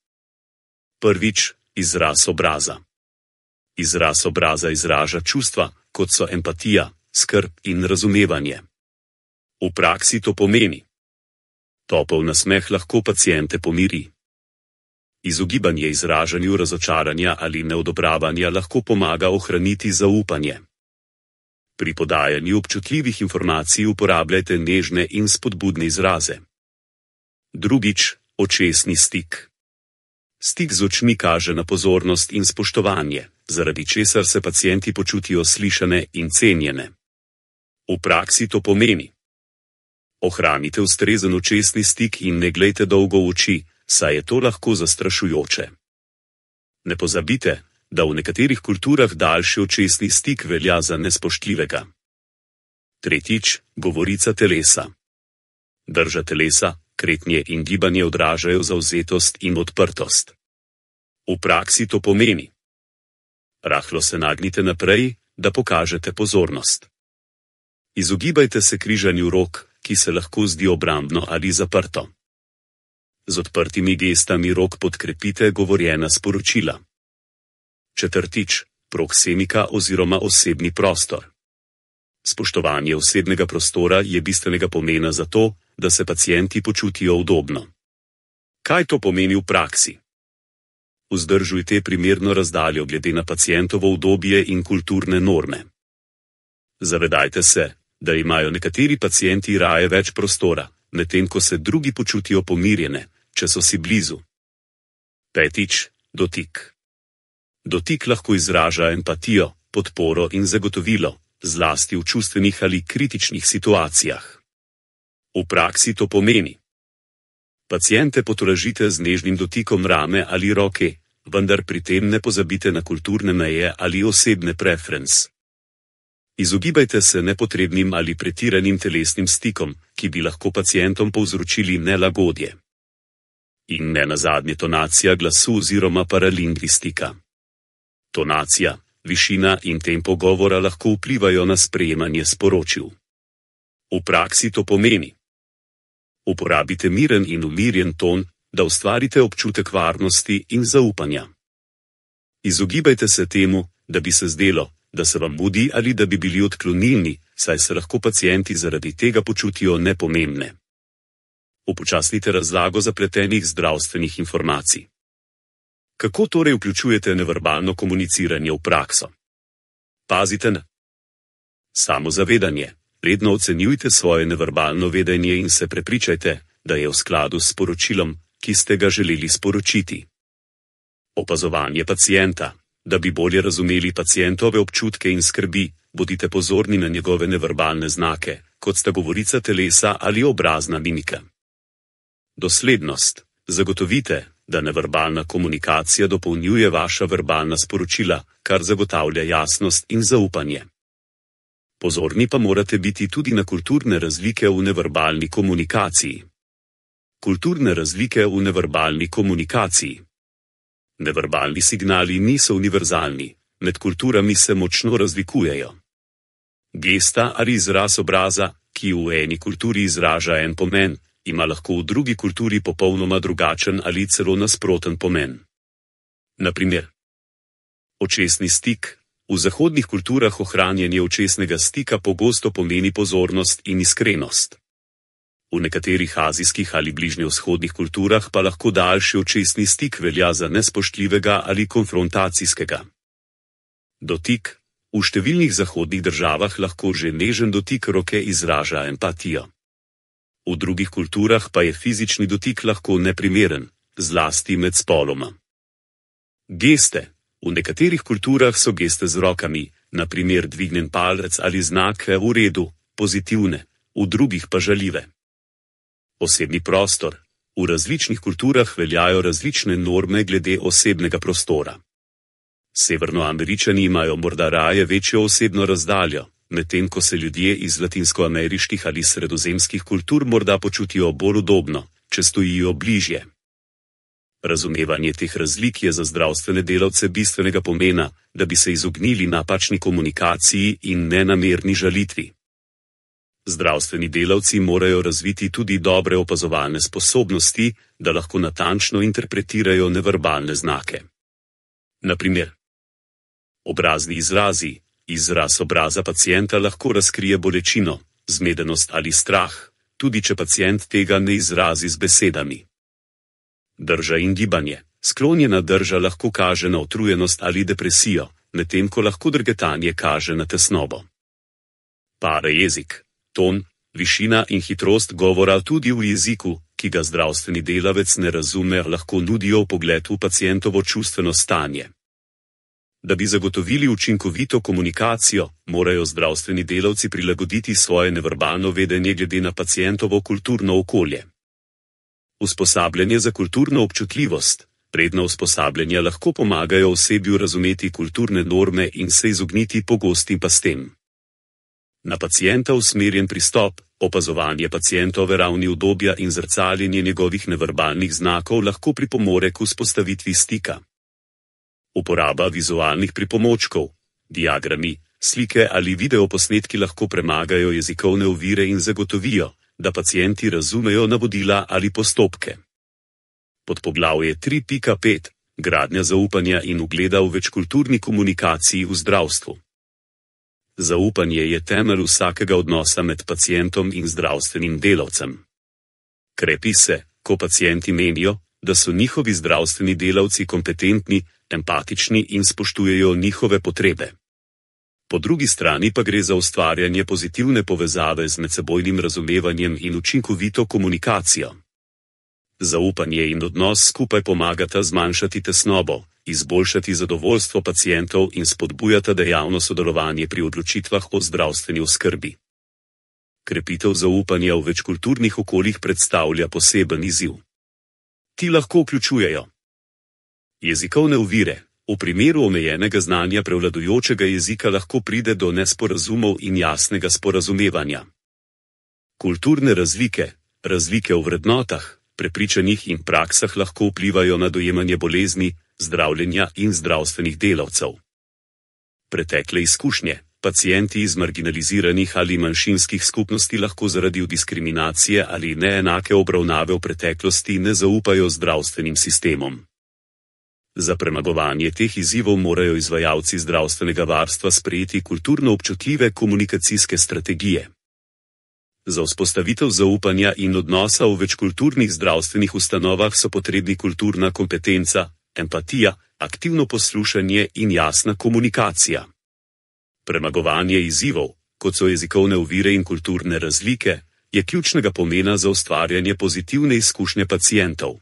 Prvič, izraz obraza. Izraz obraza izraža čustva, kot so empatija, skrb in razumevanje. V praksi to pomeni: topel nasmeh lahko paciente pomiri. Izogibanje izražanju razočaranja ali neodobravanja lahko pomaga ohraniti zaupanje. Pri podajanju občutljivih informacij uporabljajte nežne in spodbudne izraze. Drugič, očesni stik. Stik z očmi kaže na pozornost in spoštovanje, zaradi česar se pacienti počutijo slišane in cenjene. V praksi to pomeni: ohranite ustrezen očesni stik in ne glejte dolgo v oči, saj je to lahko zastrašujoče. Ne pozabite, da v nekaterih kulturah daljši očesni stik velja za nespoštljivega. Tretjič, govorica telesa. Drža telesa, kretnje in gibanje odražajo zavzetost in odprtost. V praksi to pomeni: rahlo se nagnite naprej, da pokažete pozornost. Izogibajte se križanju rok, ki se lahko zdi obrambno ali zaprto. Z odprtimi gestami rok podkrepite govorjena sporočila. Četrtič, proksemika oziroma osebni prostor. Spoštovanje osebnega prostora je bistvenega pomena za to, da se pacienti počutijo udobno. Kaj to pomeni v praksi? Vzdržujte primerno razdaljo glede na pacientovo udobje in kulturne norme. Zavedajte se, da imajo nekateri pacienti raje več prostora, medtem ko se drugi počutijo pomirjene, če so si blizu. Petič, dotik. Dotik lahko izraža empatijo, podporo in zagotovilo, zlasti v čustvenih ali kritičnih situacijah. V praksi to pomeni: paciente potolažite z nežnim dotikom rame ali roke, vendar pri tem ne pozabite na kulturne meje ali osebne preference. Izogibajte se nepotrebnim ali pretiranim telesnim stikom, ki bi lahko pacientom povzročili nelagodje. In ne nazadnje tonacija glasu oziroma paralingvistika. Tonacija, višina in tempo govora lahko vplivajo na sprejemanje sporočil. V praksi to pomeni: uporabite miren in umirjen ton, da ustvarite občutek varnosti in zaupanja. Izogibajte se temu, da bi se zdelo, da se vam mudi ali da bi bili odklonilni, saj se lahko pacienti zaradi tega počutijo nepomembne. Upočasnite razlago zapletenih zdravstvenih informacij. Kako torej vključujete neverbalno komuniciranje v prakso? Pazite na samozavedanje. Redno ocenjujte svoje neverbalno vedenje in se prepričajte, da je v skladu s sporočilom, ki ste ga želeli sporočiti. Opazovanje pacienta. Da bi bolje razumeli pacientove občutke in skrbi, bodite pozorni na njegove neverbalne znake, kot sta govorica telesa ali obrazna mimika. Doslednost. Zagotovite, da neverbalna komunikacija dopolnjuje vaša verbalna sporočila, kar zagotavlja jasnost in zaupanje. Pozorni pa morate biti tudi na kulturne razlike v neverbalni komunikaciji. Kulturne razlike v neverbalni komunikaciji. Neverbalni signali niso univerzalni, med kulturami se močno razlikujejo. Gesta ali izraz obraza, ki v eni kulturi izraža en pomen, ima lahko v drugi kulturi popolnoma drugačen ali celo nasproten pomen. Na primer, očesni stik. V zahodnih kulturah ohranjanje očesnega stika pogosto pomeni pozornost in iskrenost. V nekaterih azijskih ali bližnjevzhodnih kulturah pa lahko daljši očesni stik velja za nespoštljivega ali konfrontacijskega. Dotik. V številnih zahodnih državah lahko že nežen dotik roke izraža empatijo. V drugih kulturah pa je fizični dotik lahko neprimeren, zlasti med spoloma. Geste. V nekaterih kulturah so geste z rokami, na primer dvignen palec ali znak v redu, pozitivne, v drugih pa žaljive. Osebni prostor. V različnih kulturah veljajo različne norme glede osebnega prostora. Severnoameričani imajo morda raje večjo osebno razdaljo, medtem ko se ljudje iz latinskoameriških ali sredozemskih kultur morda počutijo bolj udobno, če stojijo bližje. Razumevanje teh razlik je za zdravstvene delavce bistvenega pomena, da bi se izognili napačni komunikaciji in nenamerni žalitvi. Zdravstveni delavci morajo razviti tudi dobre opazovalne sposobnosti, da lahko natančno interpretirajo neverbalne znake. Na primer, obrazni izrazi. Izraz obraza pacienta lahko razkrije bolečino, zmedenost ali strah, tudi če pacient tega ne izrazi z besedami. Drža in gibanje. Sklonjena drža lahko kaže na utrujenost ali depresijo, medtem ko lahko drgetanje kaže na tesnobo. Parajezik. Ton, višina in hitrost govora tudi v jeziku, ki ga zdravstveni delavec ne razume, lahko nudijo vpogled v pacientovo čustveno stanje. Da bi zagotovili učinkovito komunikacijo, morajo zdravstveni delavci prilagoditi svoje neverbalno vedenje glede na pacientovo kulturno okolje. Usposabljanje za kulturno občutljivost. Redna usposabljanja lahko pomagajo osebju razumeti kulturne norme in se izogniti pogostim pastem. Na pacienta usmerjen pristop, opazovanje pacientove ravni udobja in zrcaljenje njegovih neverbalnih znakov lahko pripomore k vzpostavitvi stika. Uporaba vizualnih pripomočkov, diagrami, slike ali videoposnetki lahko premagajo jezikovne ovire in zagotovijo, da pacienti razumejo navodila ali postopke. Podpoglavje tri pika pet. Gradnja zaupanja in ugleda v večkulturni komunikaciji v zdravstvu. Zaupanje je temelj vsakega odnosa med pacientom in zdravstvenim delavcem. Krepi se, ko pacienti menijo, da so njihovi zdravstveni delavci kompetentni, empatični in spoštujejo njihove potrebe. Po drugi strani pa gre za ustvarjanje pozitivne povezave z medsebojnim razumevanjem in učinkovito komunikacijo. Zaupanje in odnos skupaj pomagata zmanjšati tesnobo, izboljšati zadovoljstvo pacientov in spodbujata dejavno sodelovanje pri odločitvah o zdravstveni oskrbi. Krepitev zaupanja v večkulturnih okoljih predstavlja poseben izziv. Ti lahko vključujejo jezikovne ovire. V primeru omejenega znanja prevladujočega jezika lahko pride do nesporazumov in jasnega sporazumevanja. Kulturne razlike, razlike v vrednotah, prepričanjih in praksah lahko vplivajo na dojemanje bolezni, zdravljenja in zdravstvenih delavcev. Pretekle izkušnje. Pacienti iz marginaliziranih ali manjšinskih skupnosti lahko zaradi diskriminacije ali neenake obravnave v preteklosti ne zaupajo zdravstvenim sistemom. Za premagovanje teh izzivov morajo izvajalci zdravstvenega varstva sprejeti kulturno občutljive komunikacijske strategije. Za vzpostavitev zaupanja in odnosa v večkulturnih zdravstvenih ustanovah so potrebni kulturna kompetenca, empatija, aktivno poslušanje in jasna komunikacija. Premagovanje izzivov, kot so jezikovne ovire in kulturne razlike, je ključnega pomena za ustvarjanje pozitivne izkušnje pacientov.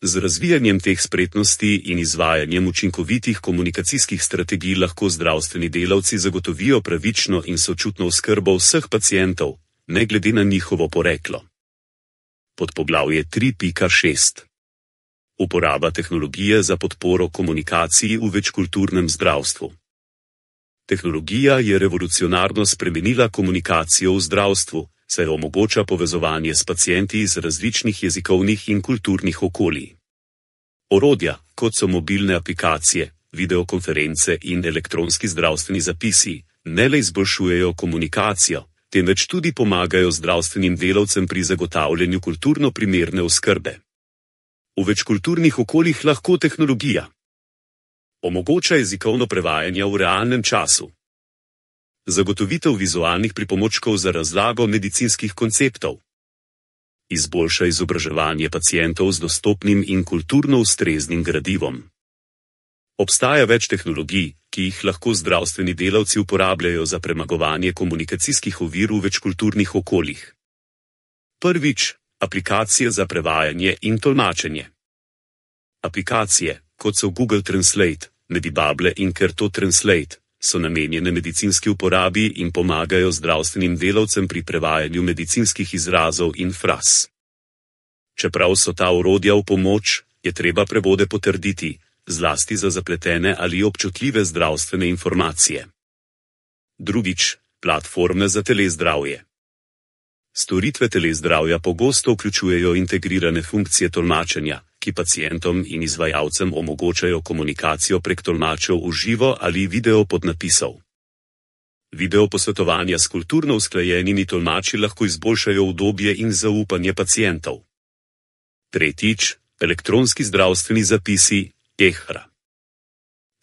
Z razvijanjem teh spretnosti in izvajanjem učinkovitih komunikacijskih strategij lahko zdravstveni delavci zagotovijo pravično in sočutno oskrbo vseh pacientov, ne glede na njihovo poreklo. Podpoglavje tri pika šest. Uporaba tehnologije za podporo komunikaciji v večkulturnem zdravstvu. Tehnologija je revolucionarno spremenila komunikacijo v zdravstvu, saj omogoča povezovanje s pacienti iz različnih jezikovnih in kulturnih okolij. Orodja, kot so mobilne aplikacije, videokonference in elektronski zdravstveni zapisi, ne le izboljšujejo komunikacijo, temveč tudi pomagajo zdravstvenim delavcem pri zagotavljanju kulturno primerne oskrbe. V večkulturnih okoljih lahko tehnologija omogoča jezikovno prevajanje v realnem času, zagotovitev vizualnih pripomočkov za razlago medicinskih konceptov, izboljša izobraževanje pacientov z dostopnim in kulturno ustreznim gradivom. Obstaja več tehnologij, ki jih lahko zdravstveni delavci uporabljajo za premagovanje komunikacijskih ovir v večkulturnih okoljih. Prvič, aplikacije za prevajanje in tolmačenje. Aplikacije, kot so Google Translate, Medibable in Kerto Translate, so namenjene medicinski uporabi in pomagajo zdravstvenim delavcem pri prevajanju medicinskih izrazov in fraz. Čeprav so ta orodja v pomoč, je treba prevode potrditi, zlasti za zapletene ali občutljive zdravstvene informacije. Drugič, platforme za telezdravje. Storitve telezdravja pogosto vključujejo integrirane funkcije tolmačenja, ki pacientom in izvajalcem omogočajo komunikacijo prek tolmačev v živo ali video podnapisov. Video posvetovanja s kulturno usklajenimi tolmači lahko izboljšajo udobje in zaupanje pacientov. Tretjič, elektronski zdravstveni zapisi, E H R.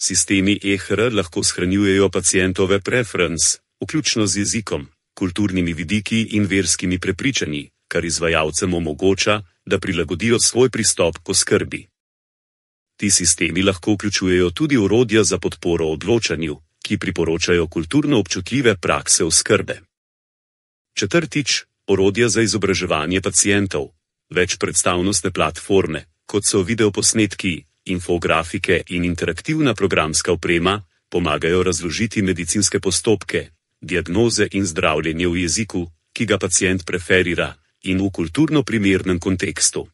Sistemi E H R lahko shranjujejo pacientove preference, vključno z jezikom, kulturnimi vidiki in verskimi prepričanji, kar izvajalcem omogoča, da prilagodijo svoj pristop k oskrbi. Ti sistemi lahko vključujejo tudi orodja za podporo odločanju, ki priporočajo kulturno občutljive prakse oskrbe. Četrtič, orodja za izobraževanje pacientov, večpredstavnostne platforme, kot so videoposnetki, infografike in interaktivna programska oprema, pomagajo razložiti medicinske postopke, diagnoze in zdravljenje v jeziku, ki ga pacient preferira, in v kulturno primernem kontekstu.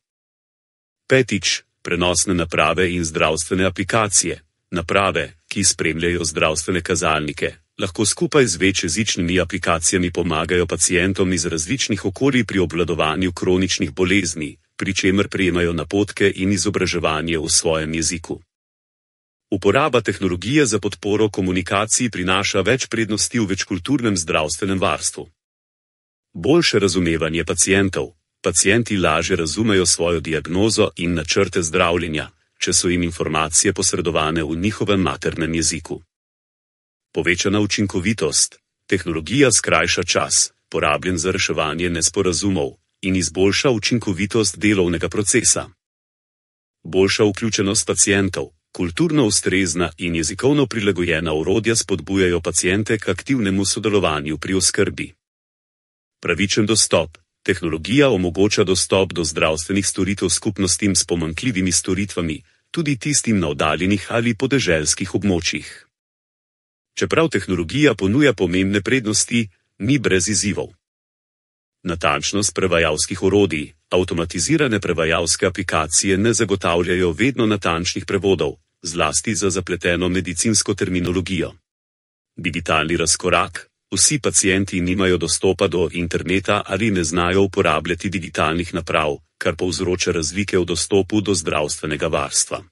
Petič, prenosne naprave in zdravstvene aplikacije. Naprave, ki spremljajo zdravstvene kazalnike, lahko skupaj z večjezičnimi aplikacijami pomagajo pacientom iz različnih okolij pri obvladovanju kroničnih bolezni, pri čemer prejemajo napotke in izobraževanje v svojem jeziku. Uporaba tehnologije za podporo komunikaciji prinaša več prednosti v večkulturnem zdravstvenem varstvu. Boljše razumevanje pacientov. Pacienti lažje razumejo svojo diagnozo in načrte zdravljenja, če so jim informacije posredovane v njihovem maternem jeziku. Povečana učinkovitost. Tehnologija skrajša čas, porabljen za reševanje nesporazumov, in izboljša učinkovitost delovnega procesa. Boljša vključenost pacientov. Kulturno ustrezna in jezikovno prilagojena orodja spodbujajo paciente k aktivnemu sodelovanju pri oskrbi. Pravičen dostop. Tehnologija omogoča dostop do zdravstvenih storitev skupnostim s pomanjkljivimi storitvami, tudi tistim na oddaljenih ali podeželskih območjih. Čeprav tehnologija ponuja pomembne prednosti, ni brez izzivov. Natančnost prevajalskih orodij. Avtomatizirane prevajalske aplikacije ne zagotavljajo vedno natančnih prevodov, zlasti za zapleteno medicinsko terminologijo. Digitalni razkorak. Vsi pacienti nimajo dostopa do interneta ali ne znajo uporabljati digitalnih naprav, kar povzroča razlike v dostopu do zdravstvenega varstva.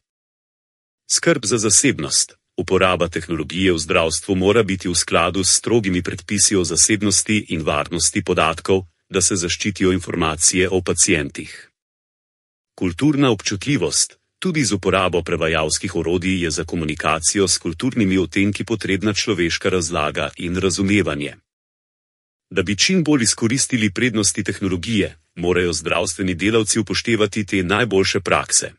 Skrb za zasebnost. Uporaba tehnologije v zdravstvu mora biti v skladu s strogimi predpisi o zasebnosti in varnosti podatkov, da se zaščitijo informacije o pacientih. Kulturna občutljivost. Tudi z uporabo prevajalskih orodij je za komunikacijo s kulturnimi odtenki potrebna človeška razlaga in razumevanje. Da bi čim bolj izkoristili prednosti tehnologije, morajo zdravstveni delavci upoštevati te najboljše prakse.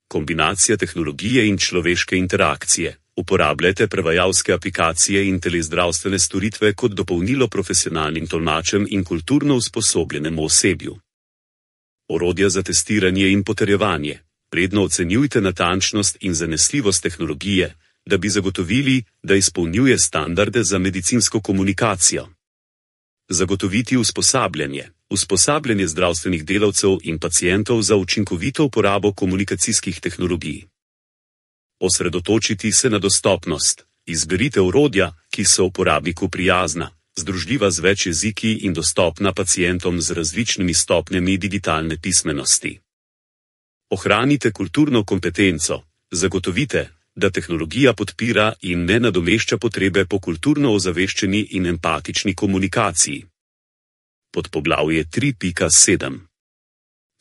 Kombinacija tehnologije in človeške interakcije. Uporabljajte prevajalske aplikacije in telezdravstvene storitve kot dopolnilo profesionalnim tolmačem in kulturno usposobljenemu osebju. Orodja za testiranje in potrjevanje. Redno ocenjujte natančnost in zanesljivost tehnologije, da bi zagotovili, da izpolnjuje standarde za medicinsko komunikacijo. Zagotoviti usposabljanje. Usposabljanje zdravstvenih delavcev in pacientov za učinkovito uporabo komunikacijskih tehnologij. Osredotočiti se na dostopnost. Izberite orodja, ki so uporabniku prijazna, združljiva z več jeziki in dostopna pacientom z različnimi stopnjami digitalne pismenosti. Ohranite kulturno kompetenco. Zagotovite, da tehnologija podpira in ne nadomešča potrebe po kulturno ozaveščeni in empatični komunikaciji. Podpoglavje tri pika sedem.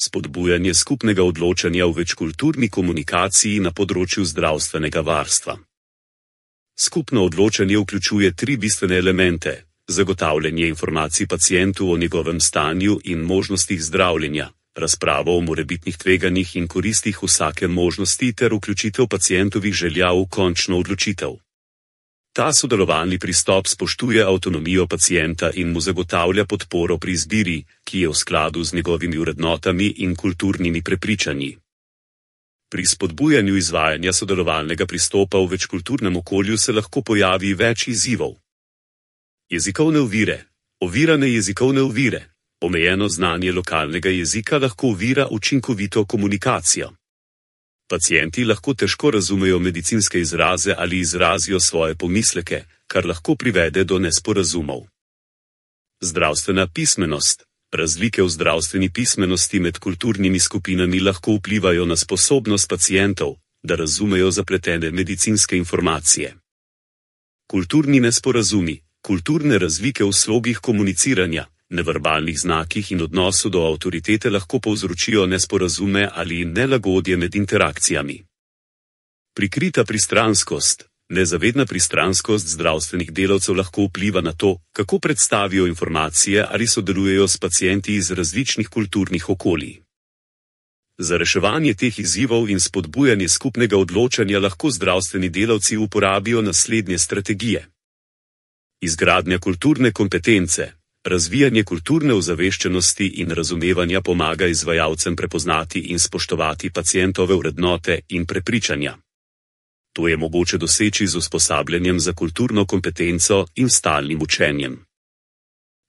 Spodbujanje skupnega odločanja v večkulturni komunikaciji na področju zdravstvenega varstva. Skupno odločanje vključuje tri bistvene elemente: zagotavljanje informacij pacientu o njegovem stanju in možnostih zdravljenja, razpravo o morebitnih tveganjih in koristih vsake možnosti ter vključitev pacientovih želja v končno odločitev. Ta sodelovalni pristop spoštuje avtonomijo pacienta in mu zagotavlja podporo pri izbiri, ki je v skladu z njegovimi vrednotami in kulturnimi prepričanji. Pri spodbujanju izvajanja sodelovalnega pristopa v večkulturnem okolju se lahko pojavi več izzivov. Jezikovne ovire. Ovirane jezikovne ovire. Omejeno znanje lokalnega jezika lahko ovira učinkovito komunikacijo. Pacienti lahko težko razumejo medicinske izraze ali izrazijo svoje pomisleke, kar lahko privede do nesporazumov. Zdravstvena pismenost. Razlike v zdravstveni pismenosti med kulturnimi skupinami lahko vplivajo na sposobnost pacientov, da razumejo zapletene medicinske informacije. Kulturni nesporazumi. Kulturne razlike v slogih komuniciranja, neverbalnih znakih in odnosu do avtoritete lahko povzročijo nesporazume ali nelagodje med interakcijami. Prikrita pristranskost. Nezavedna pristranskost zdravstvenih delavcev lahko vpliva na to, kako predstavijo informacije ali sodelujejo s pacienti iz različnih kulturnih okolij. Za reševanje teh izzivov in spodbujanje skupnega odločanja lahko zdravstveni delavci uporabijo naslednje strategije. Izgradnja kulturne kompetence. Razvijanje kulturne ozaveščenosti in razumevanja pomaga izvajalcem prepoznati in spoštovati pacientove vrednote in prepričanja. To je mogoče doseči z usposabljanjem za kulturno kompetenco in stalnim učenjem.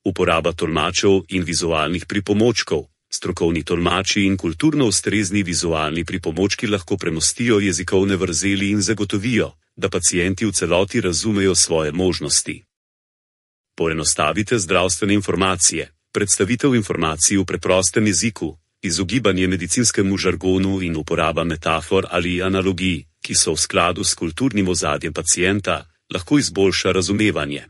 Uporaba tolmačev in vizualnih pripomočkov. Strokovni tolmači in kulturno ustrezni vizualni pripomočki lahko premostijo jezikovne vrzeli in zagotovijo, da pacienti v celoti razumejo svoje možnosti. Poenostavite zdravstvene informacije. Predstavitev informacij v preprostem jeziku, izogibanje medicinskemu žargonu in uporaba metafor ali analogij, ki so v skladu s kulturnim ozadjem pacienta, lahko izboljša razumevanje.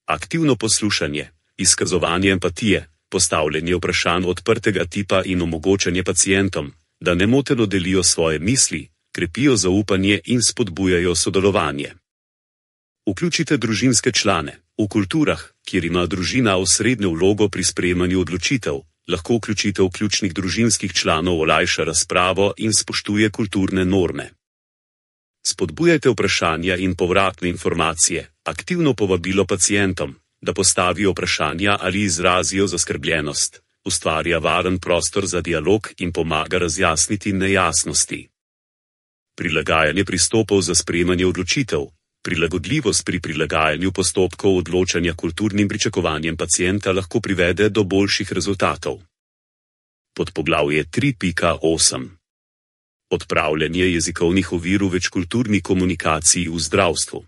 Aktivno poslušanje, izkazovanje empatije, postavljanje vprašanj odprtega tipa in omogočanje pacientom, da nemoteno delijo svoje misli, krepijo zaupanje in spodbujajo sodelovanje. Vključite družinske člane. V kulturah, kjer ima družina osrednjo vlogo pri sprejemanju odločitev, lahko vključitev ključnih družinskih članov olajša razpravo in spoštuje kulturne norme. Spodbujajte vprašanja in povratne informacije, aktivno povabilo pacientom, da postavijo vprašanja ali izrazijo zaskrbljenost, ustvarja varen prostor za dialog in pomaga razjasniti nejasnosti. Prilagajanje pristopov za sprejemanje odločitev. Prilagodljivost pri prilagajanju postopkov odločanja kulturnim pričakovanjem pacienta lahko privede do boljših rezultatov. Podpoglavje tri pika osem. Odpravljanje jezikovnih ovir v večkulturni komunikaciji v zdravstvu.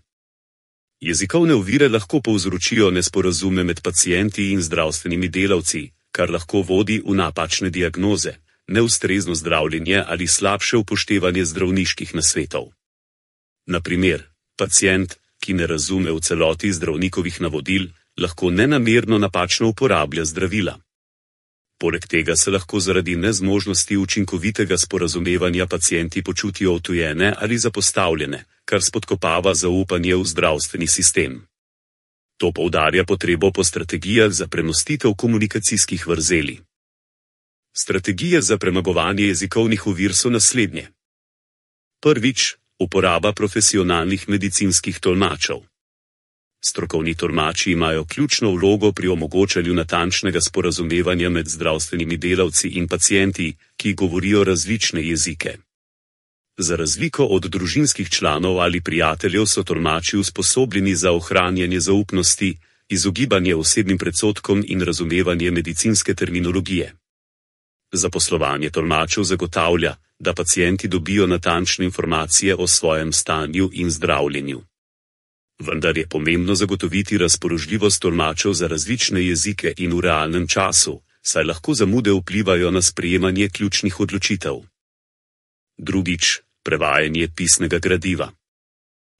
Jezikovne ovire lahko povzročijo nesporazume med pacienti in zdravstvenimi delavci, kar lahko vodi v napačne diagnoze, neustrezno zdravljenje ali slabše upoštevanje zdravniških nasvetov. Na primer, pacient, ki ne razume v celoti zdravnikovih navodil, lahko nenamerno napačno uporablja zdravila. Poleg tega se lahko zaradi nezmožnosti učinkovitega sporazumevanja pacienti počutijo odtujene ali zapostavljene, kar spodkopava zaupanje v zdravstveni sistem. To poudarja potrebo po strategijah za premostitev komunikacijskih vrzeli. Strategije za premagovanje jezikovnih ovir so naslednje. Prvič, uporaba profesionalnih medicinskih tolmačev. Strokovni tolmači imajo ključno vlogo pri omogočanju natančnega sporazumevanja med zdravstvenimi delavci in pacienti, ki govorijo različne jezike. Za razliko od družinskih članov ali prijateljev so tolmači usposobljeni za ohranjanje zaupnosti, izogibanje osebnim predsodkom in razumevanje medicinske terminologije. Zaposlovanje tolmačev zagotavlja, da pacienti dobijo natančne informacije o svojem stanju in zdravljenju. Vendar je pomembno zagotoviti razpoložljivost tolmačev za različne jezike in v realnem času, saj lahko zamude vplivajo na sprejemanje ključnih odločitev. Drugič, prevajanje pisnega gradiva.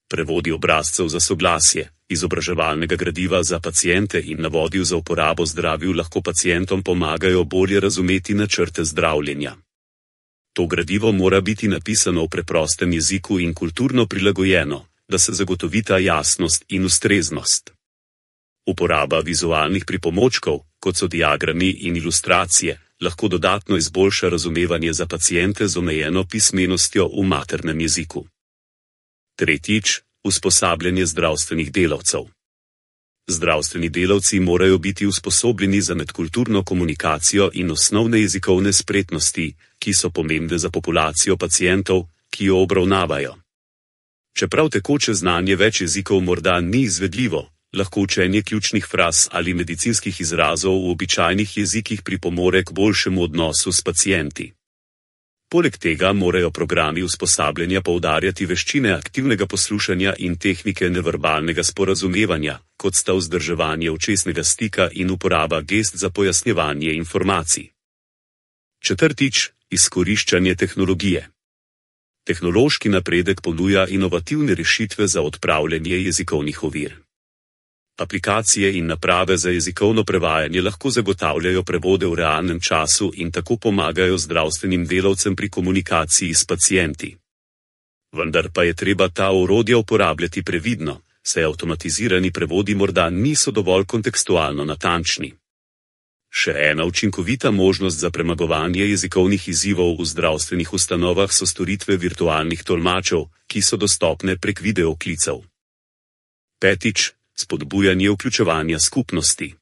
Prevodi obrazcev za soglasje, izobraževalnega gradiva za paciente in navodil za uporabo zdravil lahko pacientom pomagajo bolje razumeti načrte zdravljenja. To gradivo mora biti napisano v preprostem jeziku in kulturno prilagojeno, da se zagotovita jasnost in ustreznost. Uporaba vizualnih pripomočkov, kot so diagrami in ilustracije, lahko dodatno izboljša razumevanje za paciente z omejeno pismenostjo v maternem jeziku. Tretjič, usposabljanje zdravstvenih delavcev. Zdravstveni delavci morajo biti usposobljeni za medkulturno komunikacijo in osnovne jezikovne spretnosti, ki so pomembne za populacijo pacientov, ki jo obravnavajo. Čeprav tekoče znanje več jezikov morda ni izvedljivo, lahko učenje ključnih fraz ali medicinskih izrazov v običajnih jezikih pripomore k boljšemu odnosu s pacienti. Poleg tega morajo programi usposabljanja poudarjati veščine aktivnega poslušanja in tehnike neverbalnega sporazumevanja, kot sta vzdrževanje očesnega stika in uporaba gest za pojasnjevanje informacij. Četrtič, izkoriščanje tehnologije. Tehnološki napredek ponuja inovativne rešitve za odpravljanje jezikovnih ovir. Aplikacije in naprave za jezikovno prevajanje lahko zagotavljajo prevode v realnem času in tako pomagajo zdravstvenim delavcem pri komunikaciji s pacienti. Vendar pa je treba ta orodja uporabljati previdno, saj avtomatizirani prevodi morda niso dovolj kontekstualno natančni. Še ena učinkovita možnost za premagovanje jezikovnih izzivov v zdravstvenih ustanovah so storitve virtualnih tolmačev, ki so dostopne prek videoklicev. Petič, spodbujanje vključevanja skupnosti.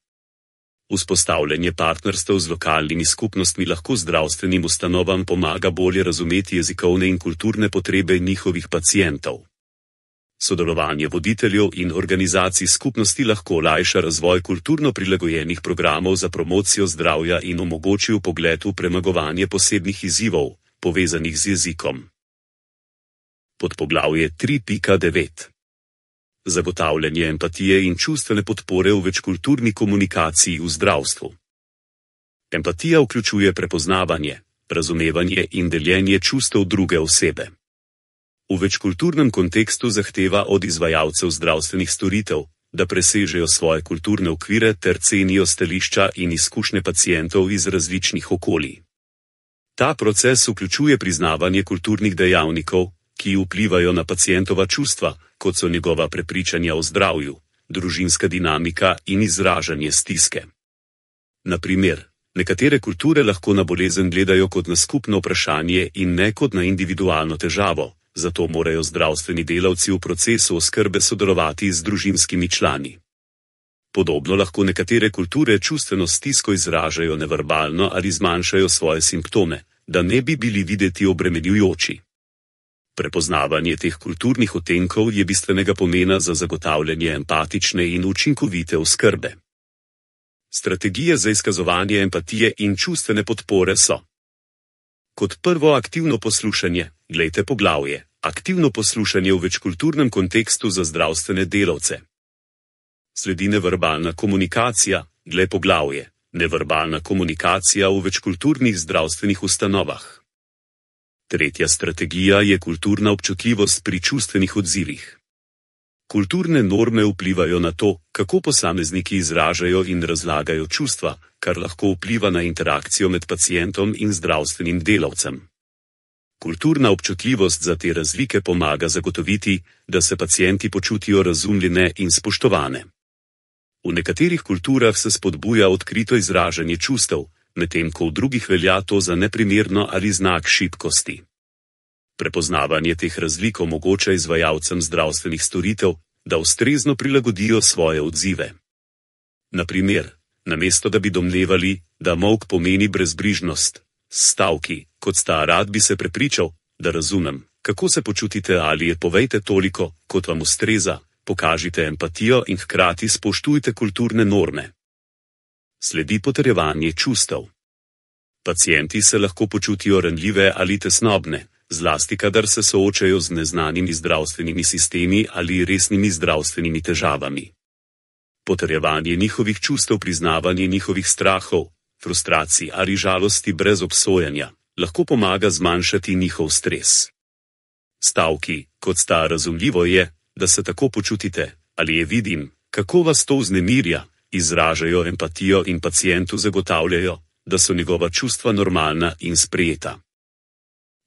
Vzpostavljanje partnerstev z lokalnimi skupnostmi lahko zdravstvenim ustanovam pomaga bolje razumeti jezikovne in kulturne potrebe njihovih pacientov. Sodelovanje voditeljev in organizacij skupnosti lahko olajša razvoj kulturno prilagojenih programov za promocijo zdravja in omogoči vpogled v premagovanje posebnih izzivov, povezanih z jezikom. Podpoglavje tri pika devet. Zagotavljanje empatije in čustvene podpore v večkulturni komunikaciji v zdravstvu. Empatija vključuje prepoznavanje, razumevanje in deljenje čustev druge osebe. V večkulturnem kontekstu zahteva od izvajalcev zdravstvenih storitev, da presežejo svoje kulturne okvire ter cenijo stališča in izkušnje pacientov iz različnih okolij. Ta proces vključuje priznavanje kulturnih dejavnikov, ki vplivajo na pacientova čustva, kot so njegova prepričanja o zdravju, družinska dinamika in izražanje stiske. Na primer, nekatere kulture lahko na bolezen gledajo kot na skupno vprašanje in ne kot na individualno težavo, zato morajo zdravstveni delavci v procesu oskrbe sodelovati z družinskimi člani. Podobno lahko nekatere kulture čustveno stisko izražajo neverbalno ali zmanjšajo svoje simptome, da ne bi bili videti obremenjujoči. Prepoznavanje teh kulturnih odtenkov je bistvenega pomena za zagotavljanje empatične in učinkovite oskrbe. Strategije za izkazovanje empatije in čustvene podpore so: Kot prvo aktivno poslušanje, glejte poglavje, aktivno poslušanje v večkulturnem kontekstu za zdravstvene delavce. Sledi neverbalna komunikacija, glej poglavje, neverbalna komunikacija v večkulturnih zdravstvenih ustanovah. Tretja strategija je kulturna občutljivost pri čustvenih odzivih. Kulturne norme vplivajo na to, kako posamezniki izražajo in razlagajo čustva, kar lahko vpliva na interakcijo med pacientom in zdravstvenim delavcem. Kulturna občutljivost za te razlike pomaga zagotoviti, da se pacienti počutijo razumljene in spoštovane. V nekaterih kulturah se spodbuja odkrito izražanje čustev, medtem ko v drugih velja to za neprimerno ali znak šibkosti. Prepoznavanje teh razlik omogoča izvajalcem zdravstvenih storitev, da ustrezno prilagodijo svoje odzive. Na primer, namesto da bi domnevali, da molk pomeni brezbrižnost, s stavki, kot sta rad bi se prepričal, da razumem, kako se počutite ali je povejte toliko, kot vam ustreza, pokažite empatijo in hkrati spoštujte kulturne norme. Sledi potrjevanje čustev. Pacienti se lahko počutijo ranljive ali tesnobne, zlasti kadar se soočajo z neznanimi zdravstvenimi sistemi ali resnimi zdravstvenimi težavami. Potrjevanje njihovih čustev, priznavanje njihovih strahov, frustracij ali žalosti brez obsojanja, lahko pomaga zmanjšati njihov stres. Stavki, kot sta razumljivo je, da se tako počutite, ali je vidim, kako vas to vznemirja, izražajo empatijo in pacientu zagotavljajo, da so njegova čustva normalna in sprejeta.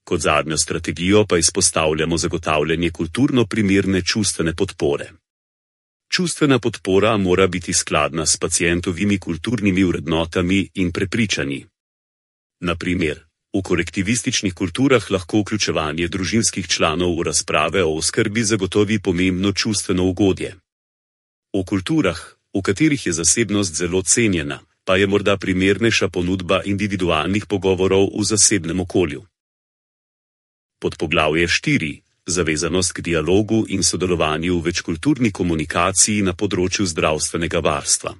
Kot zadnjo strategijo pa izpostavljamo zagotavljanje kulturno primerne čustvene podpore. Čustvena podpora mora biti skladna s pacientovimi kulturnimi vrednotami in prepričanji. Na primer, v kolektivističnih kulturah lahko vključevanje družinskih članov v razprave o oskrbi zagotovi pomembno čustveno ugodje. V kulturah, v katerih je zasebnost zelo cenjena, pa je morda primernejša ponudba individualnih pogovorov v zasebnem okolju. Podpoglavje štiri. Zavezanost k dialogu in sodelovanju v večkulturni komunikaciji na področju zdravstvenega varstva.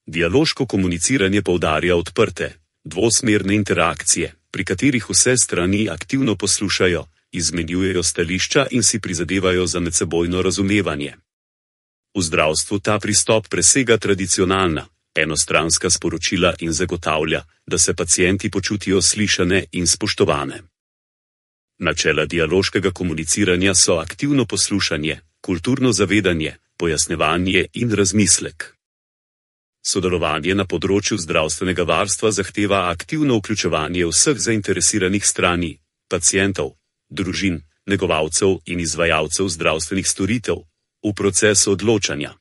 Dialoško komuniciranje poudarja odprte, dvosmerne interakcije, pri katerih vse strani aktivno poslušajo, izmenjujejo stališča in si prizadevajo za medsebojno razumevanje. V zdravstvu ta pristop presega tradicionalna, enostranska sporočila in zagotavlja, da se pacienti počutijo slišane in spoštovane. Načela dialoškega komuniciranja so aktivno poslušanje, kulturno zavedanje, pojasnjevanje in razmislek. Sodelovanje na področju zdravstvenega varstva zahteva aktivno vključevanje vseh zainteresiranih strani, pacientov, družin, negovalcev in izvajalcev zdravstvenih storitev, v procesu odločanja.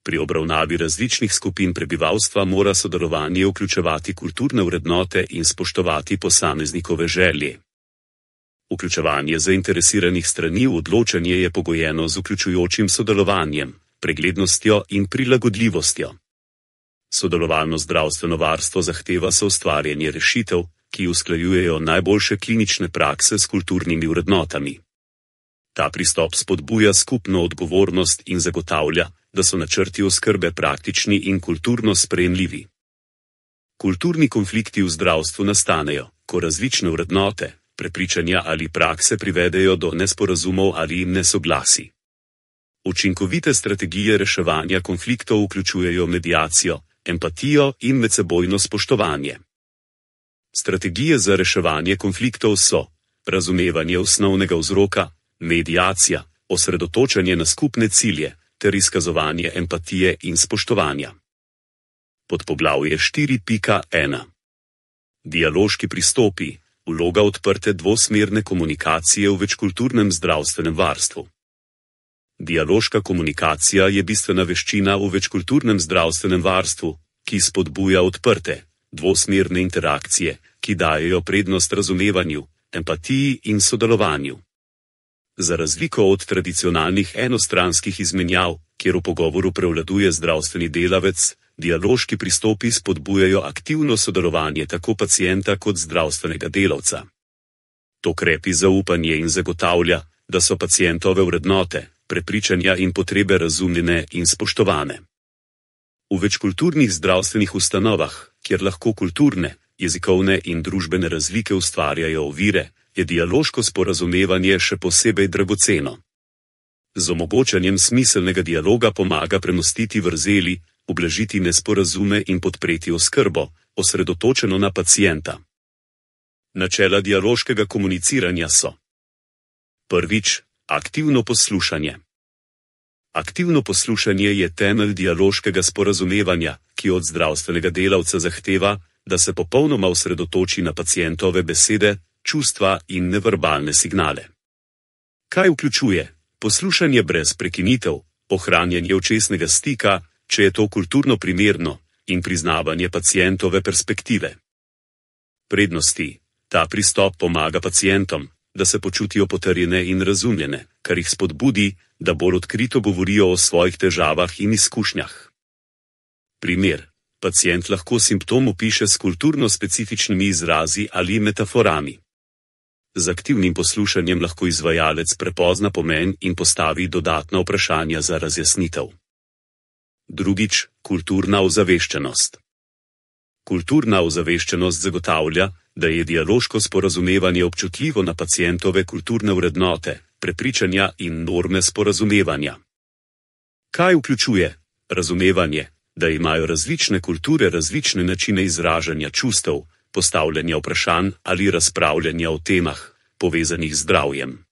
Pri obravnavi različnih skupin prebivalstva mora sodelovanje vključevati kulturne vrednote in spoštovati posameznikove želje. Vključevanje zainteresiranih strani v odločanje je pogojeno z vključujočim sodelovanjem, preglednostjo in prilagodljivostjo. Sodelovalno zdravstveno varstvo zahteva soustvarjanje rešitev, ki usklajujejo najboljše klinične prakse s kulturnimi vrednotami. Ta pristop spodbuja skupno odgovornost in zagotavlja, da so načrti oskrbe praktični in kulturno sprejemljivi. Kulturni konflikti v zdravstvu nastanejo, ko različne vrednote, prepričanja ali prakse privedejo do nesporazumov ali nesoglasi. Učinkovite strategije reševanja konfliktov vključujejo mediacijo, empatijo in medsebojno spoštovanje. Strategije za reševanje konfliktov so razumevanje osnovnega vzroka, mediacija, osredotočanje na skupne cilje ter izkazovanje empatije in spoštovanja. Podpoglavje štiri pika ena. Dialoški pristopi. Vloga odprte dvosmerne komunikacije v večkulturnem zdravstvenem varstvu. Dialoška komunikacija je bistvena veščina v večkulturnem zdravstvenem varstvu, ki spodbuja odprte, dvosmerne interakcije, ki dajejo prednost razumevanju, empatiji in sodelovanju. Za razliko od tradicionalnih enostranskih izmenjav, kjer v pogovoru prevladuje zdravstveni delavec, dialoški pristopi spodbujajo aktivno sodelovanje tako pacienta kot zdravstvenega delavca. To krepi zaupanje in zagotavlja, da so pacientove vrednote, prepričanja in potrebe razumljene in spoštovane. V večkulturnih zdravstvenih ustanovah, kjer lahko kulturne, jezikovne in družbene razlike ustvarjajo ovire, je dialoško sporazumevanje še posebej dragoceno. Z omogočanjem smiselnega dialoga pomaga premostiti vrzeli, ublažiti nesporazume in podpreti oskrbo, osredotočeno na pacienta. Načela dialoškega komuniciranja so: prvič, aktivno poslušanje. Aktivno poslušanje je temelj dialoškega sporazumevanja, ki od zdravstvenega delavca zahteva, da se popolnoma osredotoči na pacientove besede, čustva in neverbalne signale. Kaj vključuje? Poslušanje brez prekinitev, ohranjanje očesnega stika, če je to kulturno primerno, in priznavanje pacientove perspektive. Prednosti. Ta pristop pomaga pacientom, da se počutijo potrjene in razumljene, kar jih spodbudi, da bolj odkrito govorijo o svojih težavah in izkušnjah. Primer. Pacient lahko simptom opiše s kulturno specifičnimi izrazi ali metaforami. Z aktivnim poslušanjem lahko izvajalec prepozna pomen in postavi dodatna vprašanja za razjasnitev. Drugič, kulturna ozaveščenost. Kulturna ozaveščenost zagotavlja, da je dialoško sporazumevanje občutljivo na pacientove kulturne vrednote, prepričanja in norme sporazumevanja. Kaj vključuje? Razumevanje, da imajo različne kulture različne načine izražanja čustev, postavljanja vprašanj ali razpravljanja o temah, povezanih z zdravjem.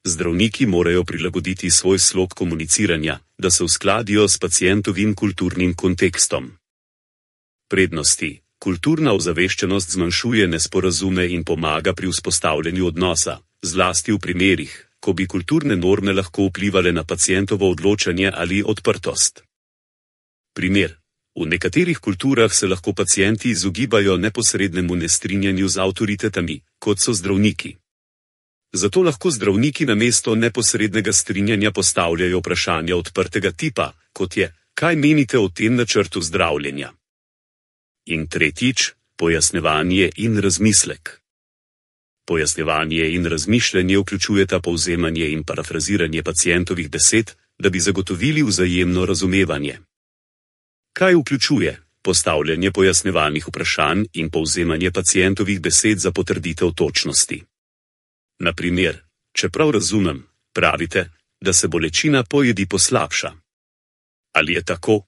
Zdravniki morajo prilagoditi svoj slog komuniciranja, da se uskladijo s pacientovim kulturnim kontekstom. Prednosti. Kulturna ozaveščenost zmanjšuje nesporazume in pomaga pri vzpostavljanju odnosa, zlasti v primerih, ko bi kulturne norme lahko vplivale na pacientovo odločanje ali odprtost. Primer. V nekaterih kulturah se lahko pacienti izogibajo neposrednemu nestrinjanju z avtoritetami, kot so zdravniki. Zato lahko zdravniki namesto neposrednega strinjanja postavljajo vprašanja odprtega tipa, kot je: kaj menite o tem načrtu zdravljenja? In tretjič, pojasnjevanje in razmislek. Pojasnjevanje in razmišljanje vključujeta povzemanje in parafraziranje pacientovih besed, da bi zagotovili vzajemno razumevanje. Kaj vključuje? Postavljanje pojasnjevalnih vprašanj in povzemanje pacientovih besed za potrditev točnosti. Na primer, čeprav razumem, pravite, da se bolečina po jedi poslabša. Ali je tako?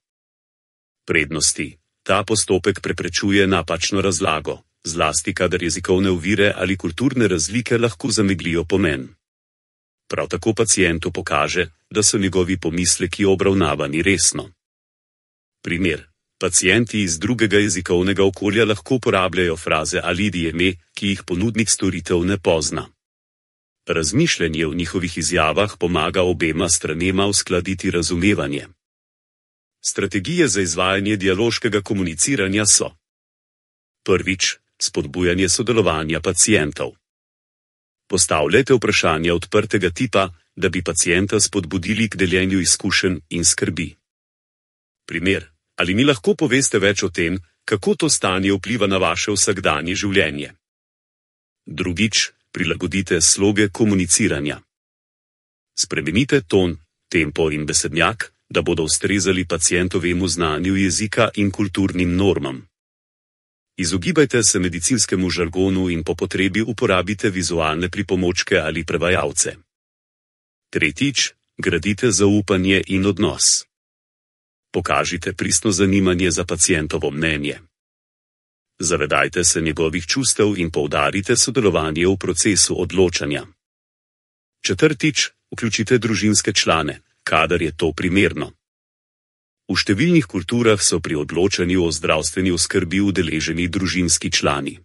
Prednosti. Ta postopek preprečuje napačno razlago, zlasti kadar jezikovne ovire ali kulturne razlike lahko zameglijo pomen. Prav tako pacientu pokaže, da so njegovi pomisleki obravnavani resno. Primer. Pacienti iz drugega jezikovnega okolja lahko uporabljajo fraze ali idijeme, ki jih ponudnik storitev ne pozna. Razmišljanje v njihovih izjavah pomaga obema stranema uskladiti razumevanje. Strategije za izvajanje dialoškega komuniciranja so: prvič, spodbujanje sodelovanja pacientov. Postavljajte vprašanja odprtega tipa, da bi pacienta spodbudili k deljenju izkušenj in skrbi. Primer. Ali mi lahko poveste več o tem, kako to stanje vpliva na vaše vsakdanje življenje? Drugič, prilagodite sloge komuniciranja. Spremenite ton, tempo in besednjak, da bodo ustrezali pacientovemu znanju jezika in kulturnim normam. Izogibajte se medicinskemu žargonu in po potrebi uporabite vizualne pripomočke ali prevajalce. Tretjič, gradite zaupanje in odnos. Pokažite pristno zanimanje za pacientovo mnenje. Zavedajte se njegovih čustev in poudarite sodelovanje v procesu odločanja. Četrtič, vključite družinske člane, kadar je to primerno. V številnih kulturah so pri odločanju o zdravstveni oskrbi udeleženi družinski člani.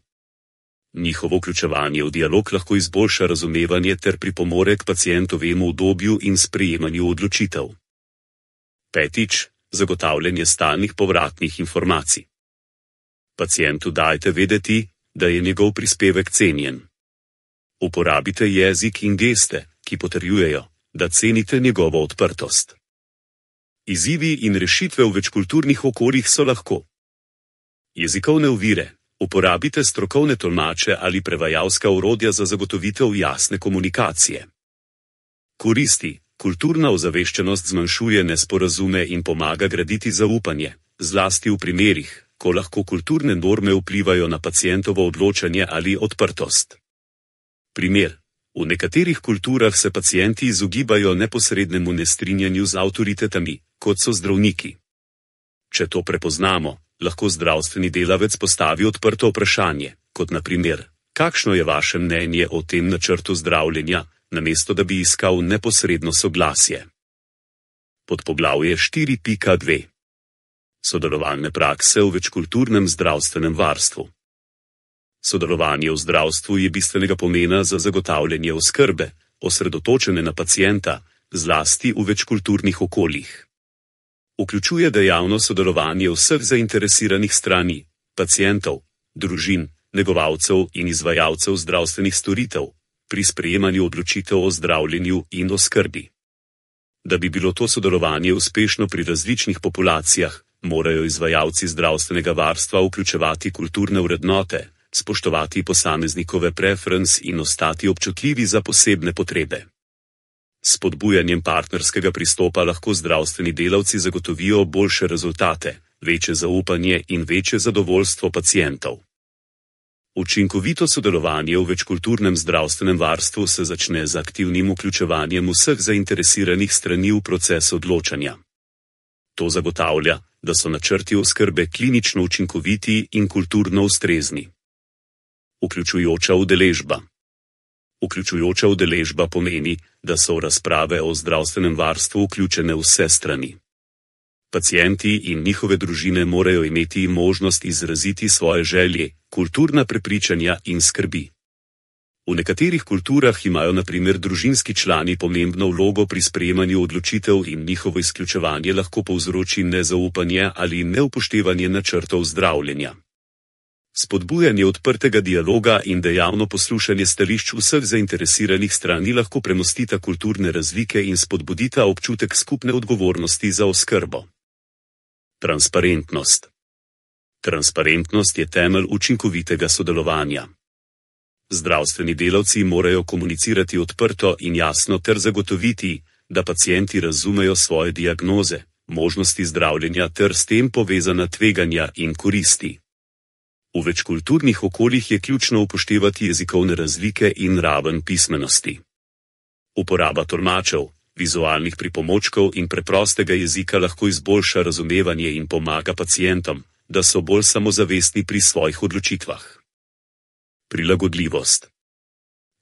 Njihovo vključevanje v dialog lahko izboljša razumevanje ter pripomore k pacientovemu udobju in sprejemanju odločitev. Petič, zagotavljanje stalnih povratnih informacij. Pacientu dajte vedeti, da je njegov prispevek cenjen. Uporabite jezik in geste, ki potrjujejo, da cenite njegovo odprtost. Izzivi in rešitve v večkulturnih okoljih so lahko: jezikovne ovire. Uporabite strokovne tolmače ali prevajalska orodja za zagotovitev jasne komunikacije. Koristi. Kulturna ozaveščenost zmanjšuje nesporazume in pomaga graditi zaupanje, zlasti v primerih, ko lahko kulturne norme vplivajo na pacientovo odločanje ali odprtost. Primer. V nekaterih kulturah se pacienti izogibajo neposrednemu nestrinjanju z avtoritetami, kot so zdravniki. Če to prepoznamo, lahko zdravstveni delavec postavi odprto vprašanje, kot na primer, kakšno je vaše mnenje o tem načrtu zdravljenja, namesto da bi iskal neposredno soglasje. Podpoglavje štiri pika dve. Sodelovalne prakse v večkulturnem zdravstvenem varstvu. Sodelovanje v zdravstvu je bistvenega pomena za zagotavljanje oskrbe, osredotočene na pacienta, zlasti v večkulturnih okoljih. Vključuje dejavno sodelovanje vseh zainteresiranih strani, pacientov, družin, negovalcev in izvajalcev zdravstvenih storitev, pri sprejemanju odločitev o zdravljenju in oskrbi. Da bi bilo to sodelovanje uspešno pri različnih populacijah, morajo izvajalci zdravstvenega varstva vključevati kulturne vrednote, spoštovati posameznikove preference in ostati občutljivi za posebne potrebe. S spodbujanjem partnerskega pristopa lahko zdravstveni delavci zagotovijo boljše rezultate, večje zaupanje in večje zadovoljstvo pacientov. Učinkovito sodelovanje v večkulturnem zdravstvenem varstvu se začne z aktivnim vključevanjem vseh zainteresiranih strani v proces odločanja. To zagotavlja, da so načrti oskrbe klinično učinkoviti in kulturno ustrezni. Vključujoča udeležba. Vključujoča udeležba pomeni, da so v razprave o zdravstvenem varstvu vključene vse strani. Pacienti in njihove družine morajo imeti možnost izraziti svoje želje, kulturna prepričanja in skrbi. V nekaterih kulturah imajo na primer družinski člani pomembno vlogo pri sprejemanju odločitev in njihovo izključevanje lahko povzroči nezaupanje ali neupoštevanje načrtov zdravljenja. Spodbujanje odprtega dialoga in dejavno poslušanje stališč vseh zainteresiranih strani lahko premostita kulturne razlike in spodbudita občutek skupne odgovornosti za oskrbo. Transparentnost. Transparentnost je temelj učinkovitega sodelovanja. Zdravstveni delavci morajo komunicirati odprto in jasno ter zagotoviti, da pacienti razumejo svoje diagnoze, možnosti zdravljenja ter s tem povezana tveganja in koristi. V večkulturnih okoljih je ključno upoštevati jezikovne razlike in raven pismenosti. Uporaba tolmačev, vizualnih pripomočkov in preprostega jezika lahko izboljša razumevanje in pomaga pacientom, da so bolj samozavestni pri svojih odločitvah. Prilagodljivost.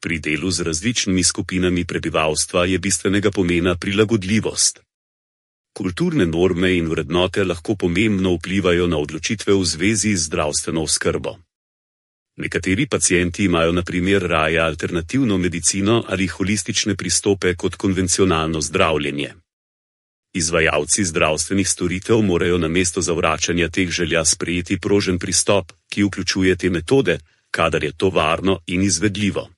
Pri delu z različnimi skupinami prebivalstva je bistvenega pomena prilagodljivost. Kulturne norme in vrednote lahko pomembno vplivajo na odločitve v zvezi z zdravstveno oskrbo. Nekateri pacienti imajo na primer raje alternativno medicino ali holistične pristope kot konvencionalno zdravljenje. Izvajalci zdravstvenih storitev morajo namesto zavračanja teh želja sprejeti prožen pristop, ki vključuje te metode, kadar je to varno in izvedljivo.